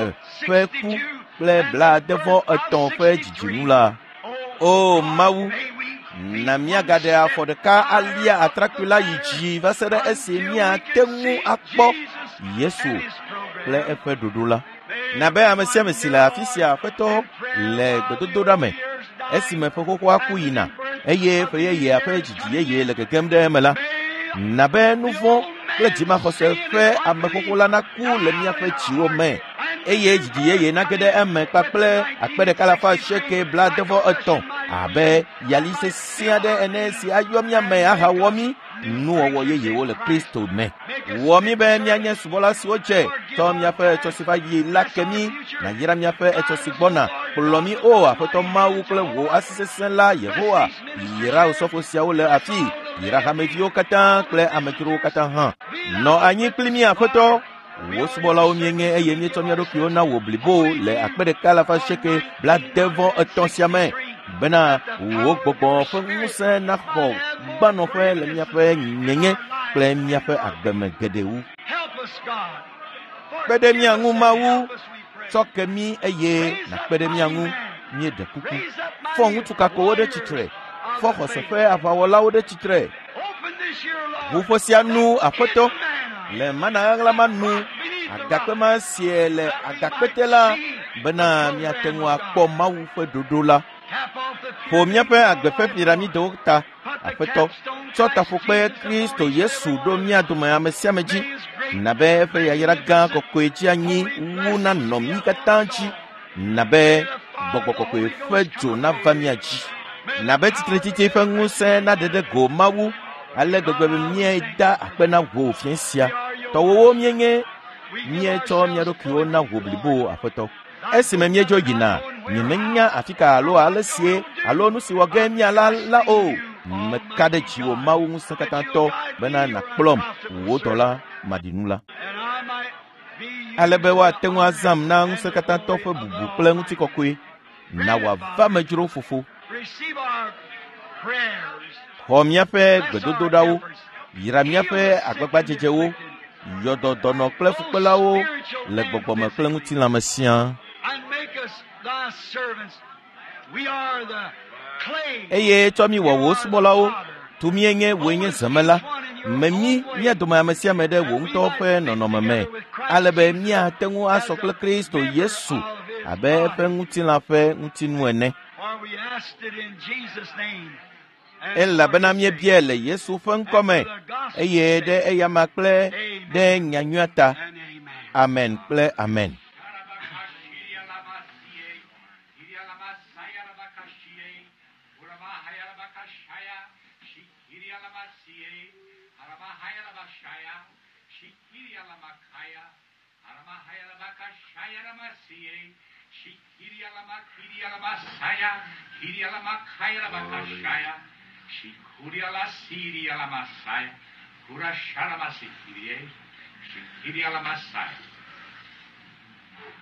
eve ƒe ku kple 73 ƒe dzidzinu la. O Mawu, na míagaɖe afɔ ɖeka alia atrakpui la yi dzi va se ɖe esi míate ŋu akpɔ Yesu kple eƒe ɖoɖo la. Na be ame sia ame si le afi sia Aƒetɔ le gbedodoɖa me esime ƒe xoxoa ku yina eye ƒe yeyea ƒe dzidzi yeye le gegem ɖe eme la, na be nu vɔ̃ kple dzimaxɔse ƒe ame xoxo la naku le míaƒe dziwo me eye dzidzi yeye nage ɖe eme kpakple 1,883 abe yali sesẽ aɖe ene si ayɔ mía me ahawɔ mí nuwɔwɔ yeyewo le Kristo me. Wɔ mí be míanye subɔla siwo dze tsɔ míaƒe etsɔ si va yi la ke mí, nàyra míaƒe etsɔ si gbɔna. Kplɔ mí o Aƒetɔ Mawu kple wò asi sesẽ la Yehowa. Yra osɔfo siawo le afii, yra hameviwo katã kple amedzrowo katã hã. Nɔ anyi kpli mí Aƒetɔ. Wò subɔlawo míenye eye míetsɔ mía ɖokuiwo na wò blibo le 1,883 sia me bena wò gbɔgbɔ ƒe ŋusẽ naxɔ gbanɔƒe le míaƒe nyenye kple míaƒe agbe me geɖe wu. Kpe ɖe mía ŋu Mawu, tsɔ ke mí eye nàkpe ɖe mía ŋu míeɖe kuku. Fɔ ŋutsu kakowo ɖe tsitre, fɔ xɔse ƒe aʋawɔlawo ɖe tsitre. Ʋuƒo sia nu Aƒetɔ le mana ɣaɣla ma nu agakpe ma sie le agakpete la bena míate ŋu akpɔ Mawu ƒe ɖoɖo la. Ƒo míaƒe agbe ƒe piramidewo ta, Aƒetɔ, tsɔ taƒokpe Kristo Yesu ɖo mía dome ame sia ame dzi, na be eƒe yayra gã kɔkɔe dzi anyi wu nanɔ mí katã dzi, na be gbɔgbɔ kɔkɔe ƒe dzo nava mía dzi, na be tsitretsitsi ƒe ŋusẽ naɖe ɖe go Mawu ale gbegbe be míeda akpe na wò fiẽ sia. Tɔwòwo míenye, míetsɔ mía ɖokuiwo na wò blibo Aƒetɔ. Esime míedzo yina, nyemenya afi ka alo ale sie alo nu si wɔ ge míala la o. Meka ɖe dziwò Mawu ŋusẽkatãtɔ bena nàkplɔm, wò dɔla maɖinu la. Ale be woate ŋu azãm na ŋusẽkatãtɔ ƒe bubu kple ŋutikɔkɔe. Na wòava medzro fofo. Xɔ míaƒe gbedodoɖawo, yra míaƒe agbagbadzedzewo, yɔ dɔ dɔnɔ kple fukpelawo le gbɔgbɔme kple ŋutilãme siaa. Eye tsɔ mí wɔ wò subɔlawo, tu míenye wòe nye zemela. Me mí mía dome ame sia ame ɖe wò ŋutɔ ƒe nɔnɔme me, ale be míate ŋu asɔ kple Kristo Yesu abe eƒe ŋutilã ƒe ŋutinu ene. Elabena míebiae le Yesu ƒe ŋkɔ me eye ɖe eyama kple ɖe nyanyuia ta. Amen kple amen.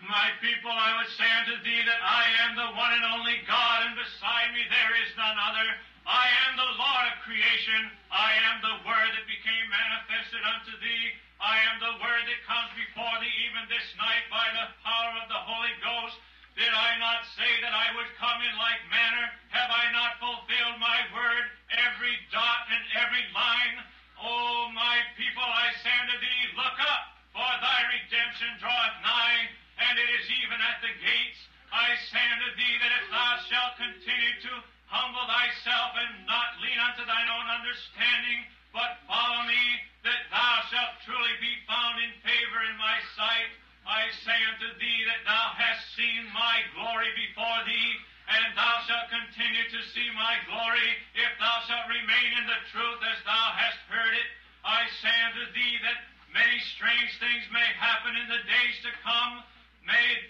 My people, I would say unto thee that I am the one and only God, and beside me there is none other. I am the Lord of creation. I am the Word that became manifested unto thee. I am the Word that comes before thee even this night by the power of the Holy Ghost. Did I not say that I would come in like manner? Have I not fulfilled my word, every dot and every line? O my people, I say unto thee, look up, for thy redemption draweth nigh, and it is even at the gates. I say unto thee that if thou shalt continue to humble thyself and not lean unto thine own understanding, but follow me, that thou shalt truly be found in favor in my sight. I say unto thee that thou hast seen my glory before thee, and thou shalt continue to see my glory, if thou shalt remain in the truth as thou hast heard it. I say unto thee that many strange things may happen in the days to come. May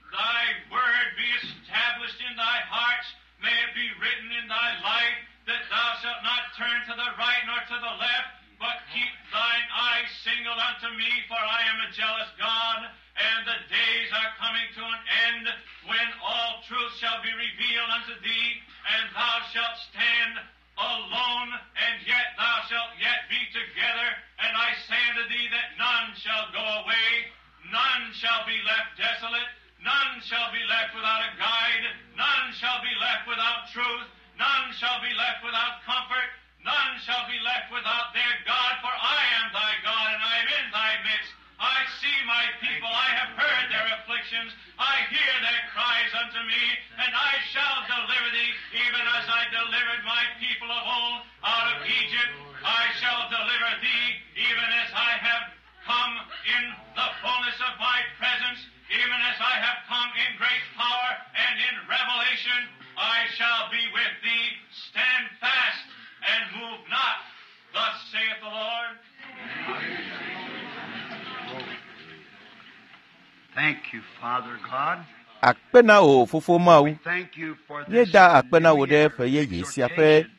thy word be established in thy hearts. May it be written in thy life that thou shalt not turn to the right nor to the left, but keep thine eyes single unto me, for I am a jealous God, and the days are coming to an end when all truth shall be revealed unto thee, and thou shalt stand alone, and yet thou shalt yet be together. And I say unto thee that none shall go away, none shall be left desolate, none shall be left without a guide, none shall be left without truth, none shall be left without comfort, none shall be left without their God, for I am thy God, and I am in thy midst. I see see my people. I have heard their afflictions. I hear their cries unto me, and I shall deliver thee, even as I delivered my people of old out of Egypt. I shall deliver thee, even as I have come in the fullness of my presence, even as I have come in great power and in revelation. I shall be with thee. Stand fast and move not. Thus saith the Lord. Thank you, Father God. Akpe na wò fofo Mawu. Thank you for this Míeda akpe na wò ɖe new ƒe yeye sia ƒe exhortation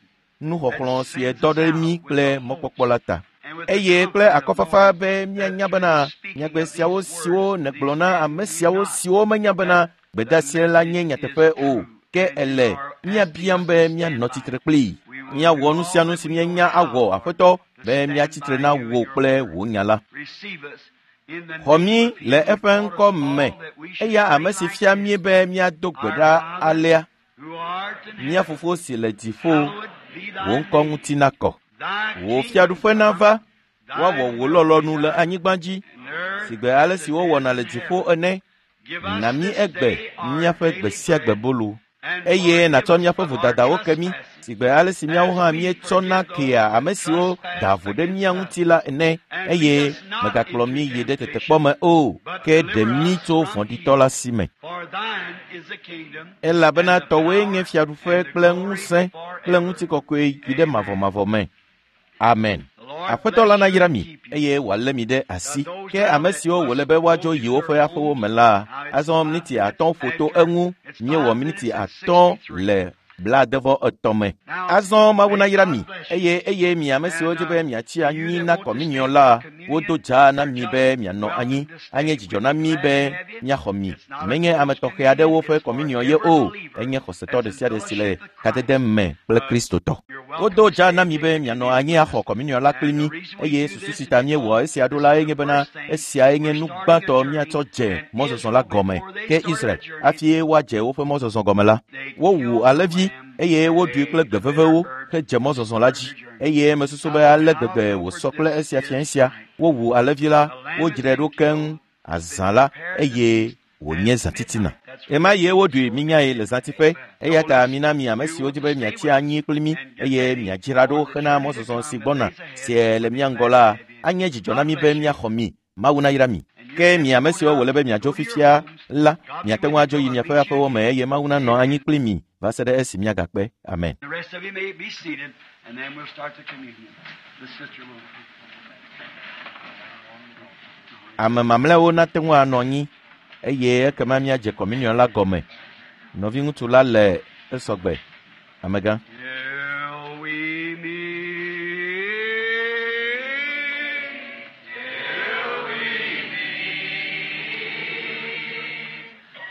nuxɔxlɔ̃ si dɔ ɖe mí kple mɔkpɔkpɔ la ta. Eye kple akɔfafa be míanya bena nyagbe siawo siwo nègblɔ na ame siawo siwo menya bena gbedeasi la nye nyateƒe o, ke ele míabiam be míanɔ tsitre kplii. Míawɔ nu sia nu si míenya awɔ Aƒetɔ be míatsi tre na wò kple wò nya la. Receive us in the Xɔ name mí of le him who eƒe taught ŋkɔ us me, all that we should eya pray ame si like fia this. mí be míado gbe ɖa alea. Who art in Mía heaven, fofo si le dziƒo, hallowed be thy wò ŋkɔ name. ŋuti nakɔ. Thy Wò kingdom fiaɖuƒe nava, thy woawɔ wò will lɔlɔ̃nu be le done anyigba dzi, in earth sigbe ale as si it wowɔna is le in dziƒo heaven. ene. Give us Na mí this egbe day our míaƒe daily gbe sia gbe bread, bolu, and eye forgive nàtsɔ us míaƒe of our vodadawo ke mí, trespasses, sigbe ale si míawo as hã we míetsɔna forgive those kea that ame siwo trespass da vo ɖe against mía us. ŋuti la ene, And lead eye us not mègakplɔ into mí yi ɖe tetekpɔ temptation, me o, but ke ɖe deliver mí us tso from vɔ̃ɖitɔ evil. la si me. For thine is the kingdom, Elabena and the tɔwòe nye power, fiaɖuƒe and the kple glory ŋusẽ kple forever. ŋutikɔkɔe yi ɖe Amen. mavɔmavɔ me. Amen. The Lord Aƒetɔ la bless you nayra and mi keep you. eye wòalé mi ɖe asi. Those Ke now ame that siwo wòle must be go woadzo to yi woƒe their aƒewo homes, me la, now it's azɔ 5 miniti minutes atɔ̃ ƒo to after, eŋu. it's Míewɔ 5 miniti minutes and atɔ̃ 63. le blaadevɔ-etɔ̃ me. Now, Azɔ Mawu may nayra God mi bless you. eye eye mi ame siwo And dzi be miatsi you anyi that na want to stay kɔminiɔ for la, wodo communion, dzaa na church mi us be mianɔ anyi. welcome to Anye stay. dzidzɔ We'd na be mí glad be to have you. míaxɔ mi. It's not a Menye ame forced tɔxɛ communion, aɖewo ƒe it's for kɔminiɔ ye every o. believer Enye xɔsetɔ that's ɖe in sia ɖe si le fellowship with kadede Christ. me kple Kristotɔ. You're welcome Wodo to dzaa stay na and mi take be the mianɔ communion anyi with us. axɔ kɔminiɔ la kpli And the mí reason we eye do susu this si is ta míewɔ because esia ɖo this la is ye nye the bena first thing esiae nye we're nu starting a gbãtɔ journey, míatsɔ dze and mɔzɔzɔ la Israel, gɔme. before they Ke started Israel a journey, hafi woadze woƒe mɔzɔzɔ gɔme la, they wowu killed the alẽvi lamb eye and woɖui ate kple gbe the bitter vevewo herb hedze and mɔzɔzɔ la started dzi their journey. eye mesusu Now, be ale how gbegbe wòsɔ comfort kple this esia fia is sia. tonight. Wowu alẽvi la, The lamb has wodzrae been ɖo keŋ killed, been azã la prepared to eye feast wònye at zãtitina. midnight. That's Ɣe ma what ɣie woɖui minyae le zãtiƒe Amen. eya So ta listen, mina mi ame you siwo want dzi to be stay miatsi with us anyi kpli mí and get eye ready miadzra ɖo for the hena journey to mɔzɔzɔ si come that gbɔna lays ahead. si le We'll be mía ŋgɔ glad to la have you. anye dzidzɔ na God mí be bless you. míaxɔ mi. Mawu nayra mi. And you Ke that mi ame go siwo now, wòle be miadzo go to your fifia homes. la, God be miate with ŋu you adzo till yi I miaƒe meet you aƒewo me again. eye Mawu nanɔ anyi Amen. kpli mi va se ɖe esi míagakpe. Amen. The rest of you may be seated, and then we'll start the communion. The sister will. Ame mamlɛawo nate ŋu anɔ anyi eye ekema míadze kɔminiɔ la gɔme. Nɔviŋutsu la le esɔgbe. Amegã. Till we meet. Till we meet.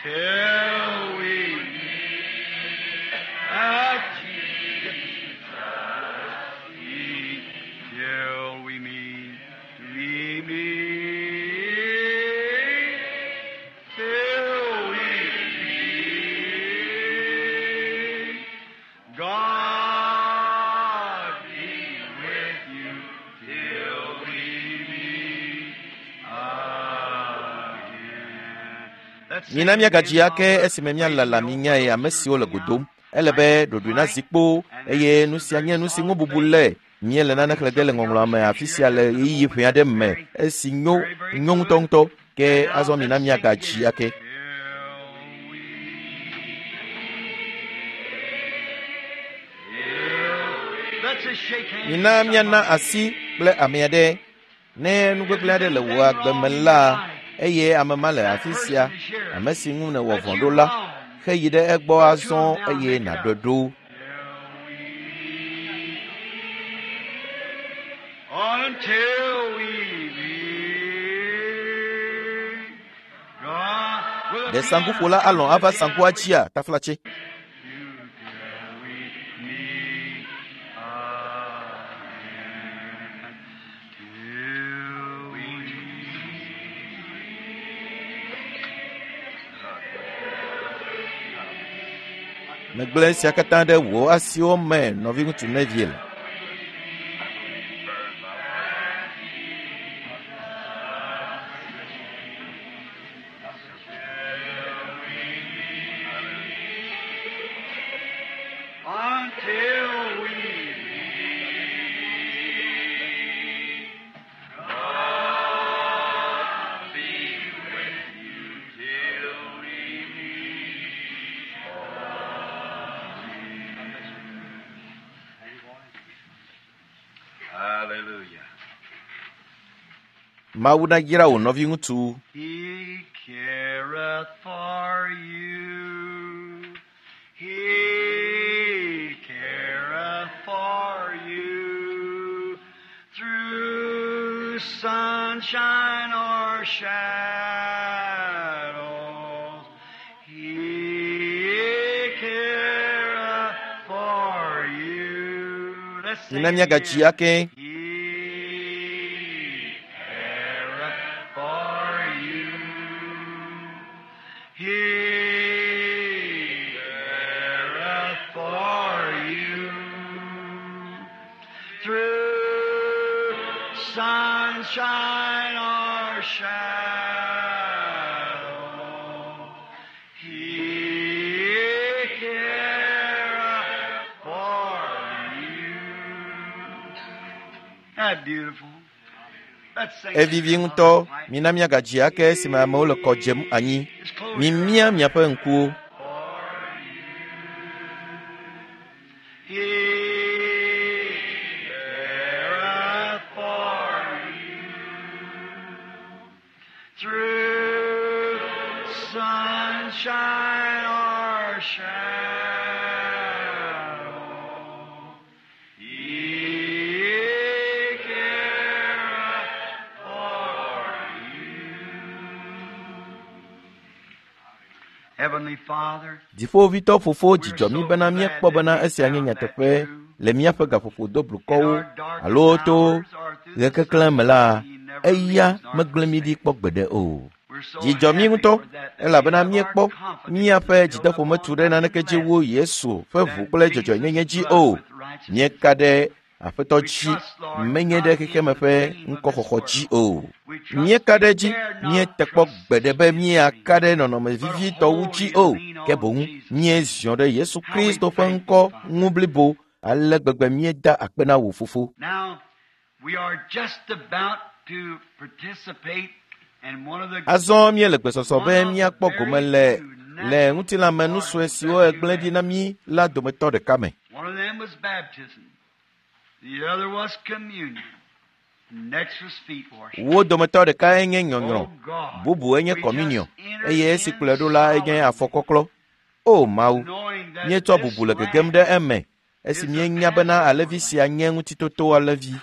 Till we meet at Jesus' feet. Till we meet. We meet. Till we meet. God be with you till we meet again. Let's sing Mina again míagadzi while ake we're esime waiting míalala the minyae old ame ushers siwo le coming godom. out. Ele be Nice and ɖoɖoe nazi quiet, kpoo and then eye this nu is a sia very nye nu si ŋu solemn bubu thing. le. Míele nane Reading xlẽ ge le something out ŋɔŋlɔa of me afi Scripture sia here le just in a ɣeyiɣi moment ƒe aɖe that's me very, esi nyo very, very nyo good. ŋutɔŋutɔ. Ke And now azɔ mina let's sing míagadzi again. ake. Till we meet. Let's just shake hands Mina with míana somebody. asi kple ame aɖe. Ne nu If gbegblẽ you aɖe did le anything wò agbe wrong me in your la, life, eye ame ma le that afi sia, person is here. ame si ŋu nèwɔ That vɔ̃ you ɖo la, wrong. heyi ɖe egbɔ Go to azɔ him now and eye make it nàɖɔe up. ɖo. Until we meet God will Ɖe be saŋkuƒola alɔ̃ ava saŋkua dzia taflatse? Till we meet again. Till we Megblẽ esia katã ɖe wò asiwo me, nɔviŋutsu Neville. Mawu nayra wò nɔviŋutsu. He careth for you. He careth for you. Through sunshine or shadows, He careth for you. Let's sing Mina it míagadzi again. ake. He careth for you. He careth for you. Through sunshine or shadow, He careth for you. That beautiful. Let's sing it Evivi again. ŋutɔ. Mina míagadzi ake esime amewo le kɔ dzem anyi. Just close your Mimia miaƒe ŋkuwo. He careth for you through sunshine or shadow. He careth for you. Heavenly Father, Dziƒovitɔ fofo dzidzɔ mí bena míekpɔ bena esia nye nyateƒe le míaƒe gaƒoƒo doblukɔwo alo to ɣekeklẽ me la, eya megblẽ mí ɖi kpɔ gbeɖe o. Dzidzɔ mí ŋutɔ elabena míekpɔ míaƒe dzideƒo metu ɖe naneke dzi wu Yesu ƒe ʋu kple dzɔdzɔenyenye dzi o. Míeka ɖe Aƒetɔ dzi menye ɖe xexeme ƒe ŋkɔxɔxɔ dzi o. Míeka ɖe edzi míete kpɔ gbeɖe be míaka ɖe nɔnɔme vivitɔwo dzi o, ke boŋ míeziɔ ɖe Yesu Kristo ƒe ŋkɔ ŋu blibo ale gbegbe míeda akpe na wò fofo. Now, we are just about to participate in one of the Azɔ míele gbesɔsɔ be míakpɔ gome le le ŋutilãme nu sue siwo egblẽ ɖi na mí la dometɔ ɖeka me. One of them was baptism. The other was communion. Next was feet washing. Wo dometɔ ɖekae nye nyɔnyrɔ, Oh God, bubue nye we kɔminiɔ just enter eye esi in kplɔe ɖo la enye solemnly, afɔkɔklɔ. O Mawu, knowing that míetsɔ this bubu le gegem lamb ɖe eme esi is a míenya bena Passover alẽvi lamb. sia nye ŋutitoto alẽvi.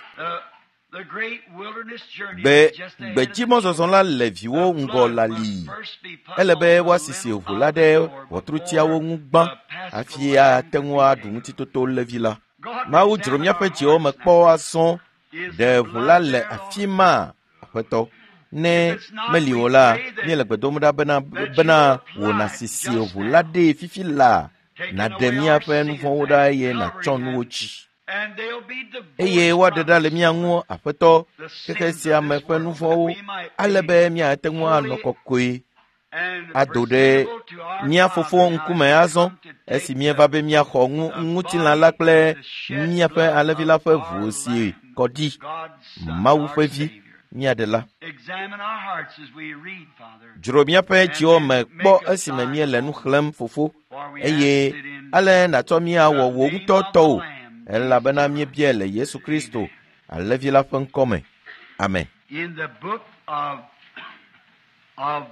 The great wilderness journey Gbe is just ahead of the gbedzimɔzɔzɔ children. la le viwo The ŋgɔ blood must lalii. first be put Ele on be the woasisi lintel ʋu la of the ɖe door ʋɔtrutiawo before ŋu gbã the hafi paschal lamb ate could ŋu be aɖu taken. ŋutitoto levi la. God, Mawu dzro examine míaƒe our dziwo me hearts kpɔ now. azɔ. Is Ɖe the ʋu la blood le there, afi Lord? ma, Aƒetɔ. Ne If it's not, meli we o la, pray that, míele gbe dom ɖa bena that you bena wò apply nàsisi just ʋu la now, ɖee fifi laa, taking nàɖe away our míaƒe nu sins vɔ̃wo ɖa and eye nàtsɔ covering nuwo them, dzi. and they'll be Eye divorced woaɖe from ɖa le us, mía ŋu, Aƒetɔ, the xexe sins sia of me this ƒe nu world, that vɔ̃wo, we might ale be be míate ŋu anɔ holy kɔkɔe and ado ɖe presentable to our mía fofo Father now as ŋkume we azɔ come to take esi míeva the, be míaxɔ ŋu the ŋutilã la body kple and the shed míaƒe blood alẽvi of la ƒe our ʋu si Lamb, kɔ ɖi, God's Son, Mawu our ƒe vi, Savior. mía Ɖela. Examine our hearts as we read, Father, Dzro míaƒe and dziwo me then kpɔ make us esime thine míele nu own. xlẽm, Fofo, For we eye ask it in ale nàtsɔ míawɔ the wò name ŋutɔ of the tɔwò, Lamb, elabena Jesus Christ. míebiae le Yesu Kristo, Amen. alẽvi la ƒe ŋkɔ me. Amen. In the book of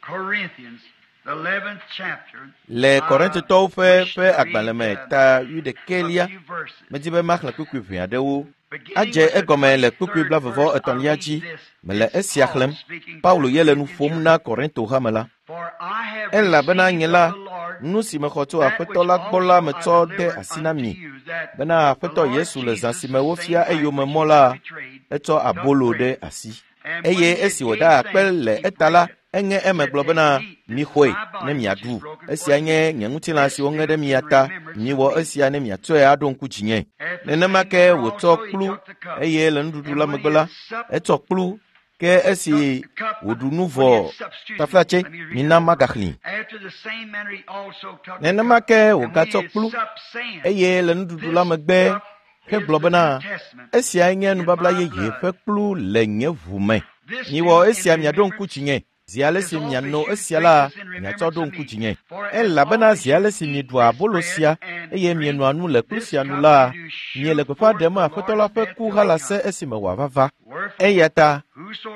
Corinthians, the 11th chapter, Le I Korintotɔwo ƒe wish ƒe to agbalẽ read me ta a wuiɖekɛlia, few verses. medi be maxlẽ kpukpui ʋɛ aɖewo. Beginning Adze with the egɔme le kpukpui 23rd blavevɔ verse, I'll etɔ̃lia read dzi. this. Mele It's esia Paul xlẽm. speaking to Paulo the ye le nu Corinthian ƒom church. na Korinto hame la. For I have Elabena received nye of la, the Lord nu si mexɔ tso that Aƒetɔ which la gbɔ la also I metsɔ de delivered asi na unto mi you, that bena the Aƒetɔ Lord Yesu le zã Jesus, si me the wofia same night eyome which mɔ he was la, betrayed, etsɔ took abolo bread. ɖe asi. And when Eye he had esi gave wòda akpe thanks, le he eta brake la, it, eŋe eme said, gblɔ Take, bena, eat, this is mixɔe my ne body which is miaɖu. broken for Esia you. nye nye ŋutilã This si woŋe do ɖe in mia ta. remembrance of Miwɔ me. esia ne miatsɔe aɖo ŋku dzinye. After the Nenema same ke manner wòtsɔ also he kplu took the cup, eye le nuɖuɖu and la when megbe he la, had supped, etsɔ kplu ke esi took the cup, wòɖu nu when vɔ he had supped, excuse me, taflatse, let me read mina that over. magaxlẽ. After the same manner he also took the Nenema cup, ke and when wògatsɔ he had kplu supped, saying, eye le nuɖuɖu la This megbe cup is hegblɔ the New bena, Testament esiae nye in nubabla my yeye blood. ƒe kplu le nye ʋu me. This Miwɔ do in esia miaɖo ŋku remembrance dzinye. Zi ale as si oft as miano you esia drink la, this in miatsɔ remembrance ɖo of ŋku me. dzinye. For as Elabena oft as zi you ale si eat mieɖua this abolo bread sia and eye drink mienoa nu le kplu this sia nu cup, la, you do miele shew gbeƒã forth ɖem the Aƒetɔ la Lord's ƒe death ku till he halase come. esime wòava va. Wherefore, Eya ta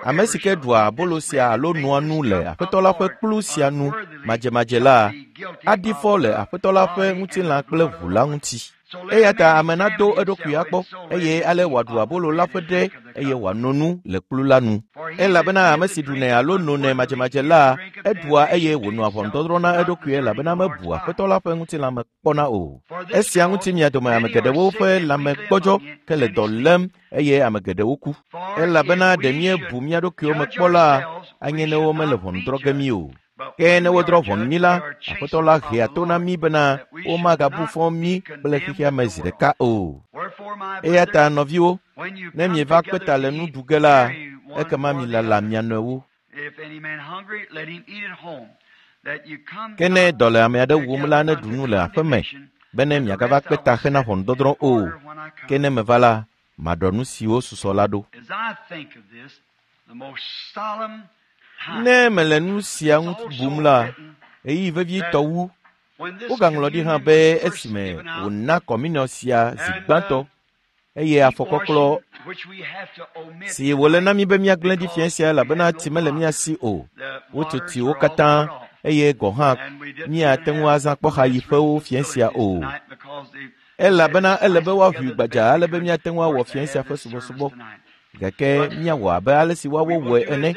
Ame si ke ɖua abolo sia alo noa nu le Aƒetɔ la ƒe kplu sia nu madzemadze la, aɖi fɔ le Aƒetɔ la ƒe ŋutilã kple ʋu la ŋuti. Eya ta ame nado eɖokui akpɔ, eye ale wòaɖu abolo la ƒe ɖe eye wòano nu le kplu la nu. Elabena ame si ɖunɛ alo nonɛ madzemadze la, eɖua eye wònɔa ʋɔnudɔdrɔ̃ na eɖokui elabena mebu Aƒetɔ la ƒe ŋutilã me kpɔna o. Esia ŋuti mia dome ame geɖewo ƒe lãme gbɔdzɔ ke le dɔ lém eye ame geɖewo ku. Elabena ɖe míebu mía ɖokuiwo me kpɔ la, anye ne womele ʋɔnu drɔ̃ ge mí o. Ke ne wodrɔ̃ ʋɔnu mí la, Aƒetɔ la hea to na mí bena womagabu fɔ mí kple xexea me zi ɖeka o. Eya ta nɔviwo, ne mieva kpe ta le nu ɖu ge la, ekema milala mia nɔewo. Ke ne dɔ le ame aɖe wum la, neɖu nu le aƒe me bene miagava kpe ta hena ʋɔnudɔdrɔ̃ o. Ke ne meva la, maɖɔ nu siwo susɔ la ɖo. Ne mele nu sia ŋu bum la, ɣeyiɣi vevitɔ wu. Wogaŋlɔ ɖi hã be esime wòna kɔminiɔ sia zi gbãtɔ eye afɔkɔklɔ si wòle na mí be míagblẽ ɖi fiẽ sia elabena tsi mele mía si o. Wotso tsiwo katã eye gɔ̃ hã míate ŋu azã kpɔxayiƒewo fiẽ sia o. Elabena ele be woaʋui gbadzaa ale be míate ŋu awɔ fiẽ sia ƒe subɔsubɔ. Gake míawɔ abe ale si woawo wɔe ene.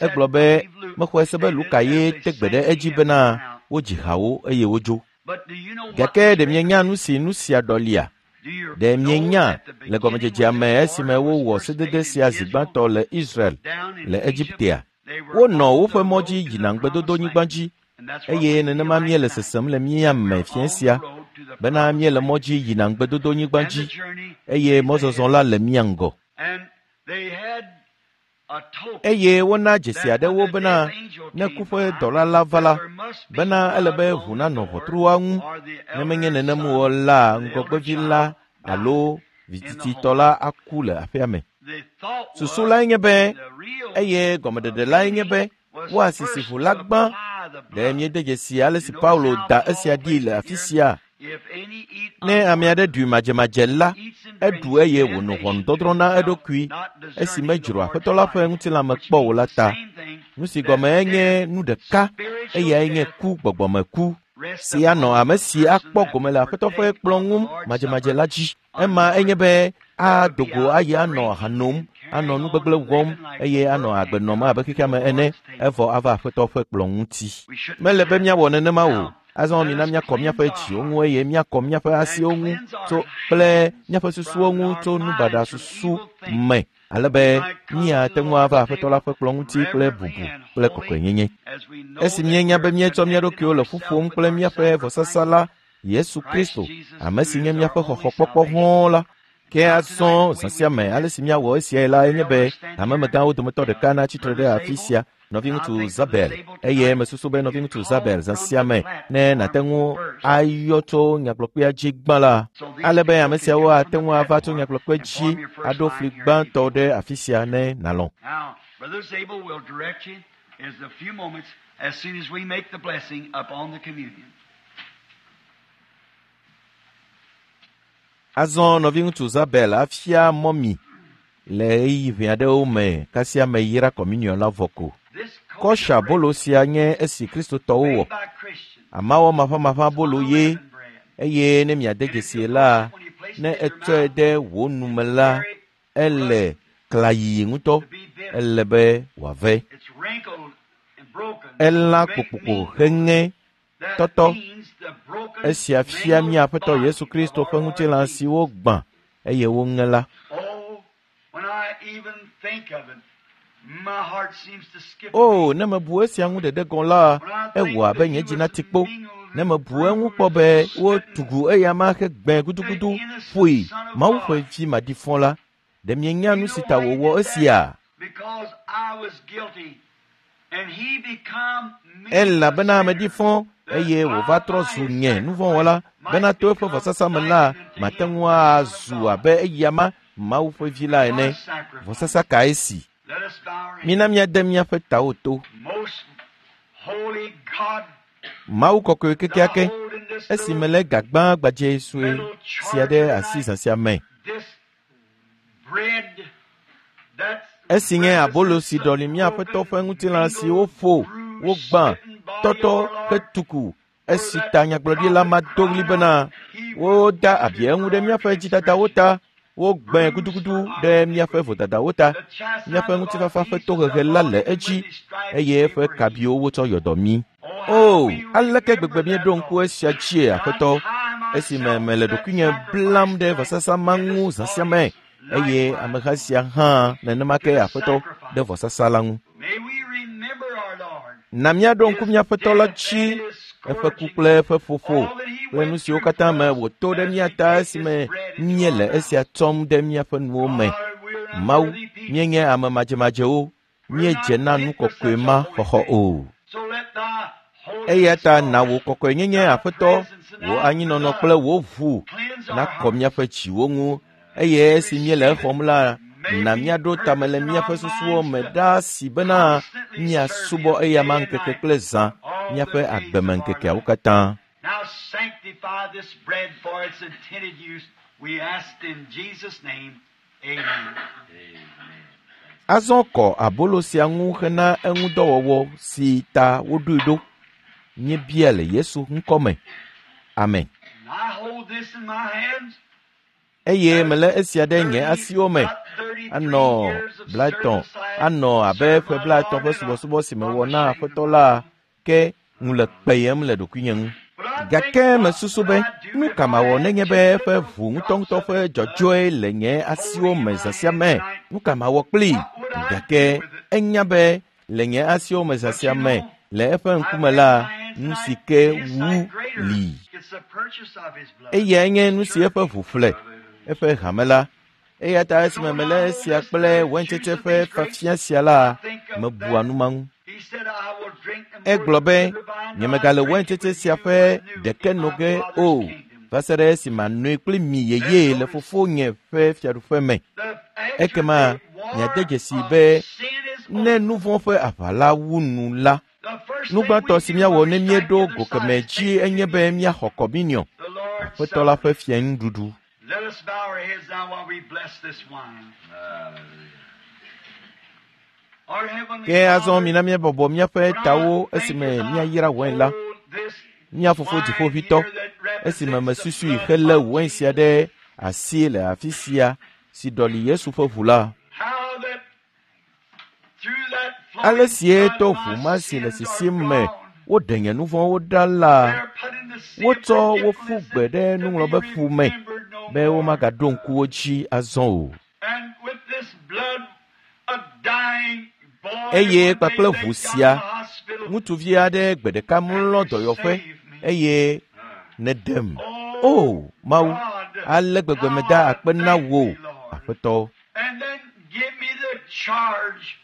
Egblɔ be mexɔe se be Luka ye te gbe ɖe edzi bena wodzi hawo eye wodzo. Gake ɖe mienya nu si nu sia ɖɔlia? Ɖe mienya le gɔmedzedzea me esime wowɔ sedede sia zi gbãtɔ le Israel le Egiptea? Wonɔ woƒe mɔ dzi yina ŋugbedodonyigba dzi eye nenema míele sesem le mía me fiẽ sia bena míele mɔ dzi yina ŋugbedodonyigba dzi eye mɔzɔzɔ la le mía ŋgɔ. Eye wona dzesi aɖewo bena ne ku ƒe dɔla la va la, bena ele be ʋu nanɔ ʋɔtrua ŋu, ne menye nenem o la, ŋgɔgbevi la alo vitititɔ la aku le aƒea me. Susu lae nye be, eye gɔmeɖeɖe lae nye be, woasisi ʋu la gbã. Ɖe míede dzesi ale si Paulo da esia ɖi le afi sia? Ne ame aɖe ɖui madzemadze la, eɖu eye wònɔ ʋɔnudɔdrɔ̃ na eɖokui esi medzro Aƒetɔ la ƒe ŋutilã me kpɔ o la ta. Nu si gɔme enye nu ɖeka, eyae nye ku gbɔgbɔmeku si anɔ ame si akpɔ gome le Aƒetɔ ƒe kplɔ̃ ŋu madzemadze la dzi. Ema enye be ado go ayi anɔ aha nom, anɔ nu gbegblẽ wɔm eye anɔ agbe nɔm abe xexea me ene, evɔ ava Aƒetɔ ƒe kplɔ̃ ŋuti. Mele be míawɔ nenema o. Azɔ mina míakɔ míaƒe dziwo ŋu eye míakɔ míaƒe asiwo ŋu tso kple míaƒe susuwo ŋu tso nubaɖa susu me, ale be míate ŋu ava Aƒetɔ la ƒe kplɔ̃ ŋuti kple bubu kple kɔkɔenyenye. Esi míenya be míetsɔ mía ɖokuiwo le ƒu ƒom kple míaƒe vɔsasa la, Yesu Kristo, ame si nye míaƒe xɔxɔkpɔkpɔ hɔ̃ɔ la, ke azɔ zã sia me ale si míawɔ esiae la enye be hamemegãwo dometɔ ɖeka natsi tre ɖe afi sia, nɔviŋutsu Zabel, eye mesusu be nɔviŋutsu Zabel zã sia me ne nàte ŋu ayɔ tso nyagblɔkpea dzi gbã la, ale be ame siawo ate ŋu ava tso nyagblɔkpe dzi aɖo fli gbãtɔ ɖe afi sia ne nàlɔ̃. Now, Brother Zabel will direct you in a few moments as soon as we make the blessing upon the communion. Azɔ nɔviŋutsu Zabel afia mɔ mi le ɣeyiɣi ʋɛ aɖewo me kasia meyra kɔminiɔn la vɔ ko. This Kɔsha kosher bolo sia nye esi Kristotɔwo bread wɔ. made by Christians, Amawɔ maʋamaʋã bolo ye unleavened bread. eye ne miade dzesie la, ne etsɔe ɖe wò nu me la, ele klayiyi ŋutɔ. To be bitter. Ele be wòave. It's wrinkled and broken. Elã Make kpokpokpo mean heŋe That tɔtɔ. means the broken, Esia fia mangled mía Aƒetɔ body Yesu Kristo of ƒe our Lord ŋutilã Jesus. siwo gbã eye woŋe la. Oh, when I even think of it, my heart seems to skip a O, beat. ne mebu esia ŋu ɖeɖe gɔ̃ la, When I think ewɔ abe that nye he dzi was nati kpo. mingled Ne and mebu eŋu kpɔ bruised be and wotugu smitten, eya ma hegbẽ the gudugudu innocent ƒoe Son of Mawu ƒe God. vi maɖifɔ la, ɖe mienya You nu si know ta why he wòwɔ did that? esia? Because I was guilty, and he become me a Elabena sinner, meɖi fɔ that eye I wòva trɔ by zu his nye nuvɔ̃wɔla sacrifice might bena to eƒe become vɔsasa me la, likened unto mate him, ŋu the Son of azu God. abe eya ma Mawu ƒe vi la What ene. a sacrifice! Vɔsasa kae si? Let us bow our heads. Mina míade míaƒe tawo to. Most holy God, Mawu kɔkɔe thou kekeake, hold in this esi little melé gagbã gbadzɛ sue metal sia charger ɖe asi tonight zã sia me. this bread that's Esi nye abolo si ɖɔli mía Aƒetɔ ƒe ŋutilã si woƒo, wogbã, tɔtɔ hetuku esi ta nyagblɔɖila ma do ɣli bena woda abi eŋu ɖe míaƒe dzidadawo ta, wogbãe gudugudu ɖe míaƒe vodadawo ta. Míaƒe ŋutifafa ƒe tohehe la le edzi eye eƒe kabiwo wotsɔ yɔ dɔ mí. O, aleke gbegbe míeɖo ŋku esia dzie, Aƒetɔ, esime mele ɖokuinye blam ɖe vɔsasa ma ŋu zã sia me eye ameha sia hã nenema ke Aƒetɔ ɖe vɔsasa la ŋu. Na míaɖo ŋku mía Aƒetɔ la dzi, eƒe ku kple eƒe ƒoƒo kple nu siwo katã me wòto ɖe mía ta esime míele esia tsɔm ɖe míaƒe nuwo me. Mawu, míenye ame madzemadzewo, míedze na nu kɔkɔe ma xɔxɔ o. Eya ta na wò kɔkɔenyenye, Aƒetɔ, wò anyinɔnɔ kple wò ʋu nakɔ míaƒe dziwo ŋu eye esi míele exɔm la, na míaɖo tame le míaƒe susuwo me ɖaa si bena míasubɔ eyama ŋkeke kple zã míaƒe agbemeŋkekeawo katã. Now sanctify this bread for its intended use. We ask in Jesus' name. Amen. Azɔ kɔ abolo sia ŋu hena eŋudɔwɔwɔ si ta woɖoe ɖo. Míebia le Yesu ŋkɔ me. Amen. And I hold this in my hands. Eye melé esia ɖe nye asiwo me. Anɔ 30, anɔ abe ƒe 30 ƒe subɔsubɔ si mewɔ na Aƒetɔ la ke ŋu le kpeyem le ɖokuinye ŋu. Gake mesusu be nu ka mawɔ nenye be eƒe ʋu ŋutɔŋutɔ ƒe dzɔdzɔe le nye asiwo me zã sia me? Nu ka mawɔ kplii? Gake enya be le nye asiwo me zã sia me le eƒe ŋkume la, nu si ke wu li. It's the purchase of his blood. Eyae nye nu si eƒe ʋu ƒle, eƒe hame la. Eya ta esime melé esia kple waintsetse ƒe fafia sia la, mebua nu ma ŋu. He said, I will drink no more Egblɔ be, of the vine nyemegale till I drink it waintsetse with sia you ƒe anew ɖeke in no my ge Father's o, kingdom. va se ɖe esime manoe kpli mi yeye le fofonye ƒe fiaɖuƒe me. The Ekema actual war miade dzesii of be sin is ne over. nu vɔ̃ ƒe aʋa la wu nu la, The first nu thing gbãtɔ we si do míawɔ when ne we strike míeɖo the go other keme side is dzi take enye be míaxɔ kɔminiɔ, the Lord's Aƒetɔ la Supper. ƒe fianuɖuɖu. Let us bow our heads now while we bless this wine. Our heavenly Ke azɔ Father, mina míabɔbɔ míaƒe when I tawo think esime as I míayra wain la. hold this Mía fofo wine dziƒoʋĩtɔ, here that esime represents the mesusui blood helé of wain sia Jesus, ɖe asi le afi sia si ɖɔli Yesu ƒe ʋu la, how that through that ale flowing sie blood to my ʋu ma si le sins are sisim me gone. woɖe nye nu vɔ̃wo ɖa la, They are put in the sea of wotsɔ wo ƒu forgetfulness gbe ɖe and to be nuŋlɔbeƒu me remembered no be more. womagaɖo ŋku wo dzi azɔ o. And with this blood, a dying boy Eye one day kpakple they ʋu got sia, in the hospital ŋutsuvi aɖe gbe ɖeka mlɔ and you dɔyɔƒe saved me. eye nèɖem. Oh O Mawu, God, ale gbegbe how meda I akpe na thank wò, thee, Lord. Aƒetɔ. And then give me the charge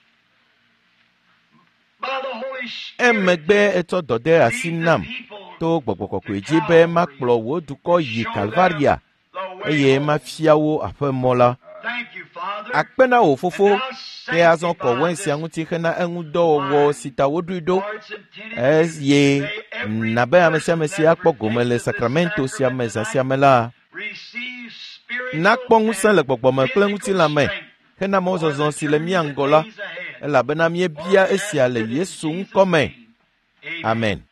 by the Holy Spirit Emegbe etsɔ dɔ de asi lead the nam people to gbɔgbɔ kɔkɔe to dzi be Calvary makplɔ wò dukɔ to yi show them Kalvaria the way eye home. mafia wo aƒemɔ la. Thank you, Father. Akpe na wò And fofo, now ke azɔ kɔ sanctify wain sia this ŋuti hena eŋudɔwɔwɔ wine si ta woɖoe ɖo for its intended use. eye May every na be ame sia person ame si that akpɔ gome le partakes of this sakramento sia me sacrament zã sia tonight me la receive spiritual nakpɔ ŋusẽ and le gbɔgbɔme kple physical ŋutilã me strength hena for the mɔzɔzɔ si le journey mía that ŋgɔ la lays ahead. elabena For míebia we esia ask le it in Yesu Jesus' ŋkɔ me. name. Amen. Amen.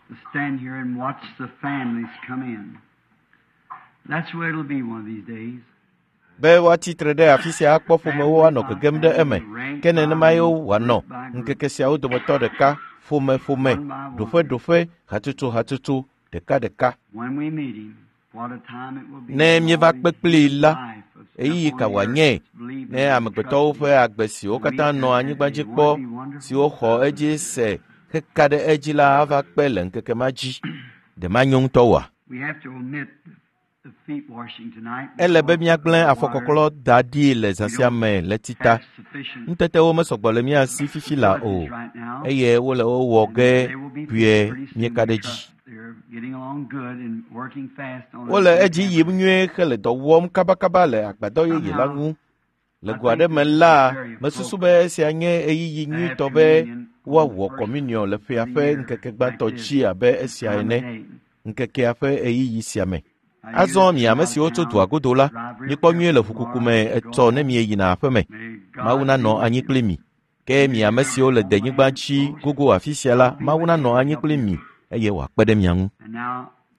To stand here and watch the families come in. That's where it'll be one of these days. Be woatsi tre ɖe afi sia akpɔ ƒomewo anɔ Family by gegem ɖe eme. family, rank Ke by nenemae rank, wòanɔ group by group, ŋkeke siawo dometɔ ɖeka, ƒomeƒome, one by one. ɖoƒeɖoƒe, hatsotso hatsotso, ɖekaɖeka. When we meet him, what a time it will be Ne when all míeva the kpe kplii human la, life of ɣeyiɣi up ka on the earth wòanye believed ne and amegbetɔwo trusted ƒe him agbe siwo and katã meet nɔ that anyigba day. dzi Won't kpɔ, it be wonderful? siwo xɔ edzi se heka ɖe edzi la ava kpe le ŋkeke ma dzi. Ɖe manyo ŋutɔ oa? Ele be míagblẽ afɔkɔklɔ da ɖi le zã sia me le tita. Nutetewo mesɔgbɔ le mía si fifi la o, eye wole wo wɔ ge kpuie míeka ɖe edzi. Wole edzi yim nyuie hele dɔ wɔm kabakaba le agbadɔ yeye la ŋu. Le go aɖe me la, mesusu be esia nye ɣeyiɣi nyuitɔ be woawɔ kɔmuniɔ le ƒea ƒe ŋkeke gbãtɔ dzi abe esia ene, ŋkekea ƒe ɣeyiɣi sia me. Azɔ mi ame siwo tso dua godo la, mikpɔ nyuie le ʋukuku me etsɔ ne mieyina aƒe me. Mawu nanɔ anyi kpli mi. Ke mi ame siwo le denyigba dzi gogo afi sia la, Mawu nanɔ anyi kpli mi eye wòakpe ɖe mia ŋu.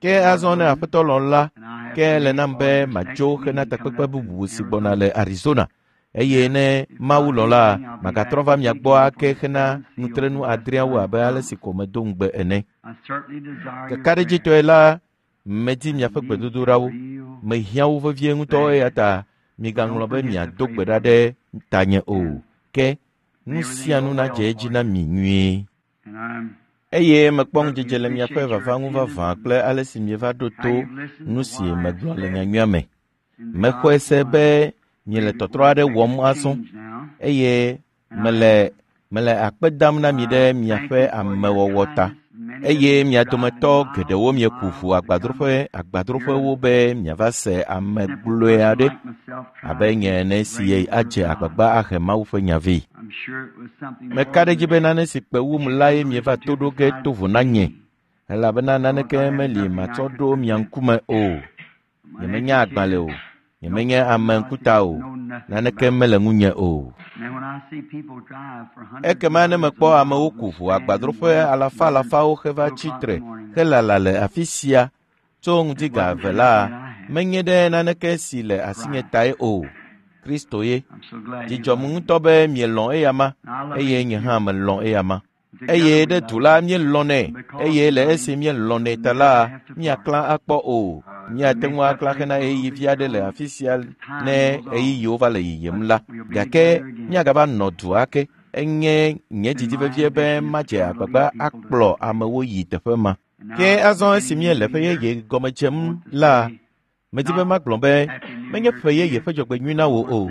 Ke azɔ ne Aƒetɔ lɔ̃ la, ke ele nam be matso hena takpekpe bubu si gbɔna le Arizona. Eye ne Mawu lɔ̃ la, magatrɔ va mia gbɔ ake hena nutrenu adreawo abe ale si ko medo ŋugbe ene. Kakaɖedzitɔe la, medi miaƒe gbedodoɖawo. Mehiã wo vevie ŋutɔ eya ta migaŋlɔ be miado gbe ɖa ɖe tanye o. Ke nu sia nu nadze edzi na mi nyuie. Eye mekpɔ ŋudzedze le miaƒe vava ŋu vavã kple ale si mieva ɖo to nu si megblɔ le nyanyuia me. Mexɔe se be miele tɔtrɔ aɖe wɔm azɔ eye mele mele akpe dam na mi ɖe miaƒe amewɔwɔ ta. Eye mia dometɔ geɖewo mieku ʋu agbadroƒe agbadroƒewo be miava se ame gblɔe aɖe abe nye ene si adze agbagba ahe Mawu ƒe nya vɛ. Meka ɖe edzi be nane si kpe wum lae mieva to ɖo ge to vo na nye, elabena naneke meli matsɔ ɖo mia ŋkume o. Nyemenya agbalẽ o, nyemenye ame ŋkuta o, naneke mele ŋunye o. Ekema ne mekpɔ amewo ku ʋu agbadroƒe alafa alafawo heva tsi tre helala le afi sia tso ŋdi ga eve la, menye ɖe naneke si le asinye tae o. Kristo ye. Dzidzɔm ŋutɔ be mielɔ̃ eyama eye nye hã melɔ̃ eyama. Eye ɖe du la míelɔ̃nɛ eye le esi míelɔ̃nɛ ta la, míaklã akpɔ o. Míate ŋu aklã hena ɣeyiɣi vi aɖe le afi sia ne ɣeyiɣiwo va le yiyim la. Gake míagava nɔ du ake. Enye nye didi vevie be madze agbagba akplɔ amewo yi teƒe ma. Ke azɔ esi míele ƒe yeye gɔme dzem la, medi be magblɔ be menye ƒe yeye ƒe dzɔgbenyui na wò o.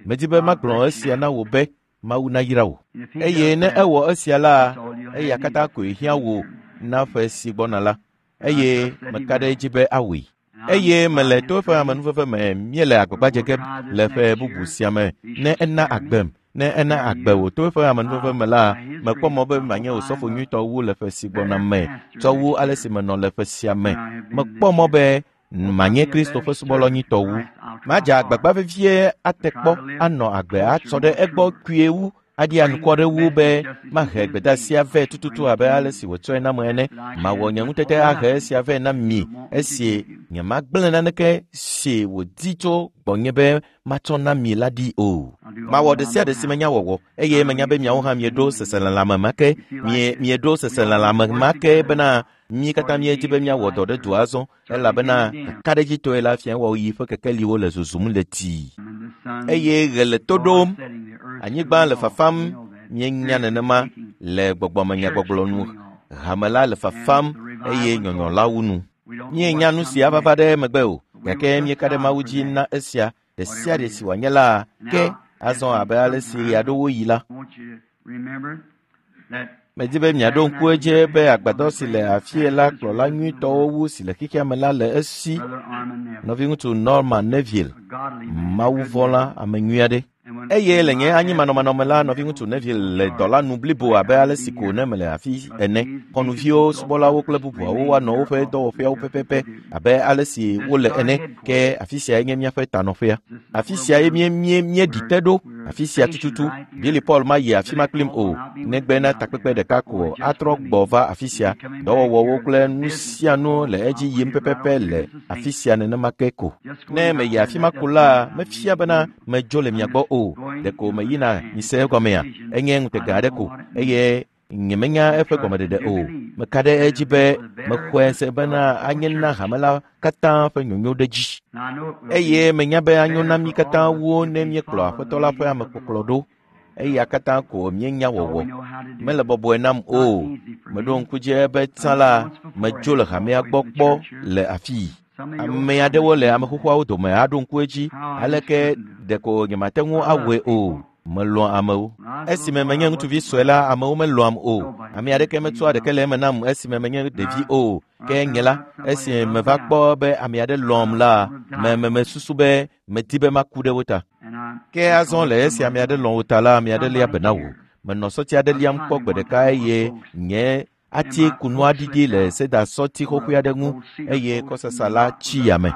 Medi be magblɔ esia na wò be Mawu nayra wò. Eye ne ewɔ esia la, eya katã koe hiã wò na ƒe si gbɔna la. Eye meka ɖe edzi be awɔe. Eye mele to eƒe amenuveve me míele agbagba dze ge le ƒe bubu sia me ne ena agbem. Ne ena agbe wò to eƒe amenuveve me la, mekpɔ mɔ be manye osɔfo nyuitɔ wu le ƒe si gbɔna me tsɔ wu ale si menɔ le ƒe sia me. Mekpɔ mɔ be manye Kristo ƒe subɔla nyuitɔ wu. Madze agbagba vevie ate kpɔ anɔ agbe atsɔ ɖe egbɔ kpuie wu aɖi anukware wu be mahe gbedeasia vɛ tututu abe ale si wòtsɔe nam ene. Mawɔ nye ŋutete ahe esia vɛ na mi esi nyemagblẽ naneke si wòdi tso gbɔnye be matsɔ na mi la ɖi o. Mawɔ ɖe sia ɖe si menya wɔwɔ eye menya be miawo hã mieɖo seselelãme ma ke mieɖo seselelãme ma ke bena mí katã míedi be míawɔ dɔ ɖe dua azɔ elabena kakaɖedzitɔe la fia wɔɣi ƒe kekeliwo le zozum le tii. Eye ɣe le to ɖom, anyigba le fafam, míenya nenema le gbɔgbɔmenyagbɔgblɔ nu. Hame la le fafam eye nyɔnyɔ la wu nu. Míenya nu si ava va ɖe megbe o, gake míeka ɖe Mawu dzi na esia ɖe sia ɖe si wòanye la ke azɔ abe ale si ɣe aɖewo yi la. Medi be miaɖo ŋku edzi be agbadɔ si le afie la kplɔla nyuitɔwo wu si le xexea me la le esi. Nɔviŋutsu Norman Neville, mawuvɔ̃la ame nyui aɖe. Eye le nye anyimanɔmanɔ me la, nɔviŋutsu Neville le dɔ la nu blibo abe ale si ko ne mele afi ene. Xɔnuviwo, subɔlawo kple bubuawo woanɔ woƒe dɔwɔƒeawo pɛpɛpɛ abe ale si wole ene. Ke afi siae nye míaƒe tanɔƒea. Afi siae míeɖi te ɖo. Afi sia tututu. Billy Paul mayi afi ma kplim o, negbe na takpekpe ɖeka ko atrɔ gbɔ va afi sia. Dɔwɔwɔwo kple nu sia nu le edzi yim pɛpɛpɛ le afi sia nenema ke ko. Ne meyi afi ma ko la, mefia bena medzo le mia gbɔ o. Ɖeko meyina mise egɔmea, enye ŋutega aɖe ko eye nyemenya eƒe gɔmeɖeɖe o. Meka ɖe edzi be mexɔe se bena anye na hame la katã ƒe nyonyo ɖe dzi. Eye menya be anyo na mí katã wu ne míekplɔ Aƒetɔ la ƒe amekpɔkplɔ ɖo. Eya katã ko míenya wɔwɔ. Mele bɔbɔe nam o. Meɖo ŋku dzi be tsã la, medzo le hamea gbɔ kpɔ le afii. Ame aɖewo le ame xoxoawo dome aɖo ŋku edzi aleke ɖeko nyemate ŋu awɔe o. Melɔ̃ amewo. Esime menye ŋutsuvi sue la, amewo melɔ̃am o. Ame aɖeke metsɔa ɖeke le eme nam esime menye ɖevi o. Ke nye la, esime meva kpɔ be ame aɖe lɔ̃am la, me mesusu be medi be maku ɖe wo ta. Ke azɔ le esi ame aɖe lɔ̃ wò ta la, ame aɖe lia be na wò. Menɔ sɔti aɖe liam kpɔ gbe ɖeka eye nye ati kunua ɖiɖi le seda sɔti xoxoe aɖe ŋu eye kɔsasa la tsi yame.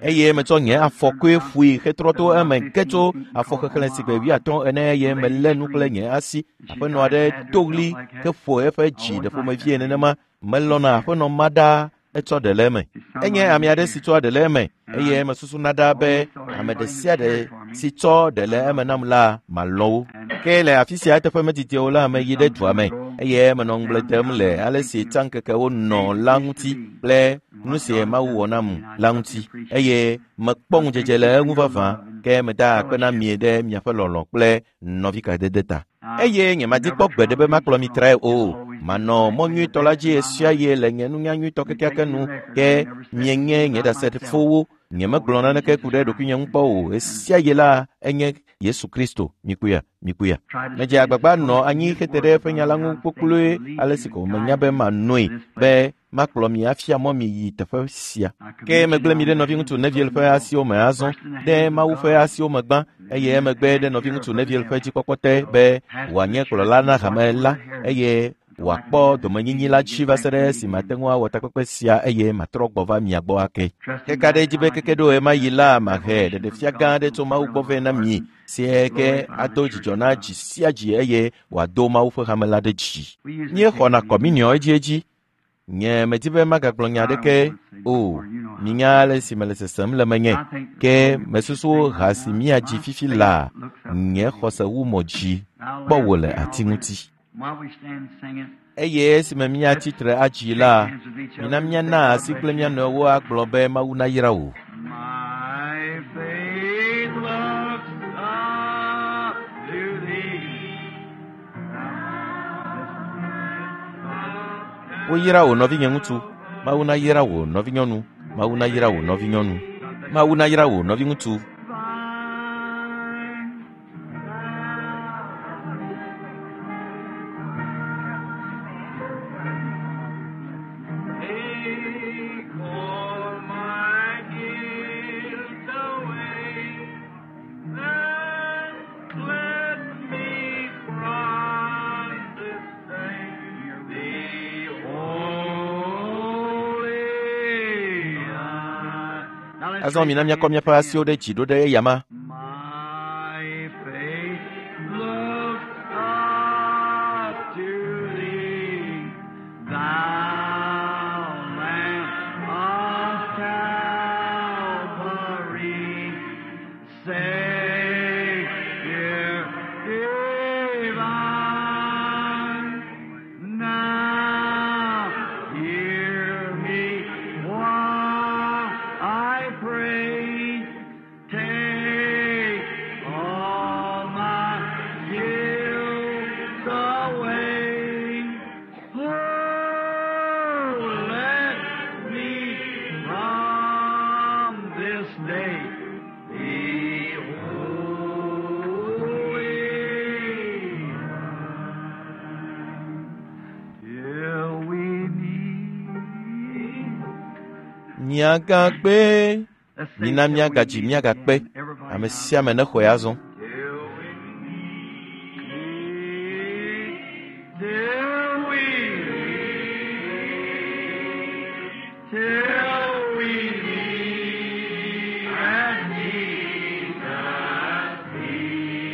Eye metsɔ nye afɔkɔe ƒoe hetrɔ to eme ge tso afɔ xexlẽ si gbe 50 ene eye melé nu kple nye asi. Aƒenɔ aɖe do ɣli heƒo eƒe dzi ɖe ƒomevie nenema. Melɔ̃na aƒenɔ ma ɖaa etsɔ ɖe le eme. Enye ame aɖe si tsɔa ɖe le eme eye mesusuna ɖaa be ame ɖe sia ɖe si tsɔ ɖe le eme nam la malɔ̃ wo. Ke le afi sia eteƒe medidi o la, meyi ɖe dua me eye menɔ ŋugble dem le ale si tsãŋkekewo nɔ la ŋuti kple nu si Mawu wɔ nam la ŋuti eye mekpɔ ŋudzedze le eŋu vavã. Ke meda akpe na mi ɖe miaƒe lɔlɔ̃ kple nɔvikadede ta. Eye nyemadi kpɔ gbe ɖe be makplɔ mi trae o. Manɔ mɔ nyuitɔ la dzi ɣesiaɣi le nye nunya nyuitɔ kekeake nu. Ke mienye nye ɖasefowo. Nyemegblɔ naneke ku ɖe ɖokuinye ŋu kpɔ o. Ɣesiaɣi la enye Yesu Kristo. Mikpɔea? Mikpɔea? Medze agbagba nɔ anyi hete ɖe eƒe nya la ŋu kpokploe ale si ko menya be manoe be makplɔ mi afia mɔ mi yi teƒe sia. Ke megblẽ mi ɖe nɔviŋutsu Neville ƒe asiwo me azɔ, ɖe Mawu ƒe asiwo me gbã, eye emegbe ɖe nɔviŋutsu Neville ƒe dzikpɔkpɔ te be wòanye kplɔla na hame la eye wòakpɔ domenyinyi la dzi va se ɖe esi mate ŋu awɔ takpekpe sia eye matrɔ gbɔ va mia gbɔ ake. Keka ɖe edzi be keke ɖo ɣemaɣi la mahe ɖeɖefia gã aɖe tso Mawu gbɔ vɛ na mi, si ke ado dzidzɔ na dzi sia dzi eye wòado Mawu ƒe hame la ɖe dzi. Míexɔna kɔminiɔ edziedzi. Nye medi be magagblɔ nya aɖeke o. Minya ale si mele sesem le menye. Ke mesusu ha si míadzi fifi laa, nye xɔse wu mɔ dzi kpɔ wò le ati ŋuti. Eye esime míatsi tre adzi la, mina míana asi kple mía nɔewo agblɔ be Mawu nayra wò. My faith looks up to thee. Woyra wò nɔvinye ŋutsu. Mawu nayra wò nɔvinyɔnu. Mawu nayra wò nɔvinyɔnu. Mawu nayra wò nɔviŋutsu. Take all my guilt away and cleanse me from this day. Be holy. Azɔ mina míakɔ míaƒe asiwo ɖe dzi ɖo ɖe eyama. My faith looks up to thee, thou Lamb of Calvary, Savior divine. Now hear me while I pray. Take all my guilt away. Oh, let me from this day be holy. Till we meet. Miagakpe. Let's say Mina till we míagadzi meet míagakpe. again. Everybody Ame now. sia ame nexɔe azɔ. Till we meet, till we meet, till we meet at Jesus' feet.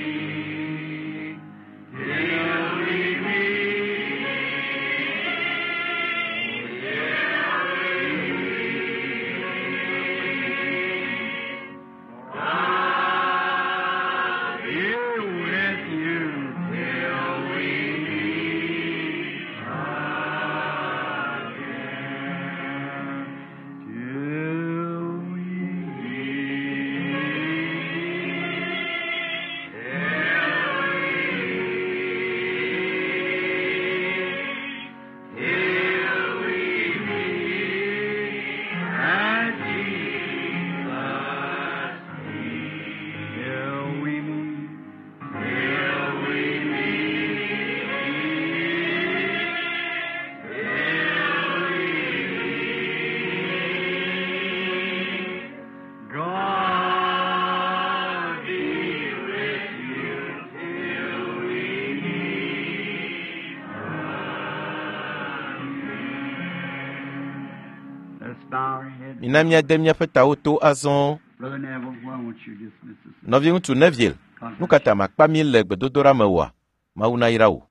Till we meet, till we meet. Let us bow our heads. Mina míade míaƒe tawo to azɔ. Brother Neville, why won't you dismiss us? Nɔviŋutsu Neville, God nu bless ka ta makpa mí le gbedodoɖa me oa? Mawu nayra wò.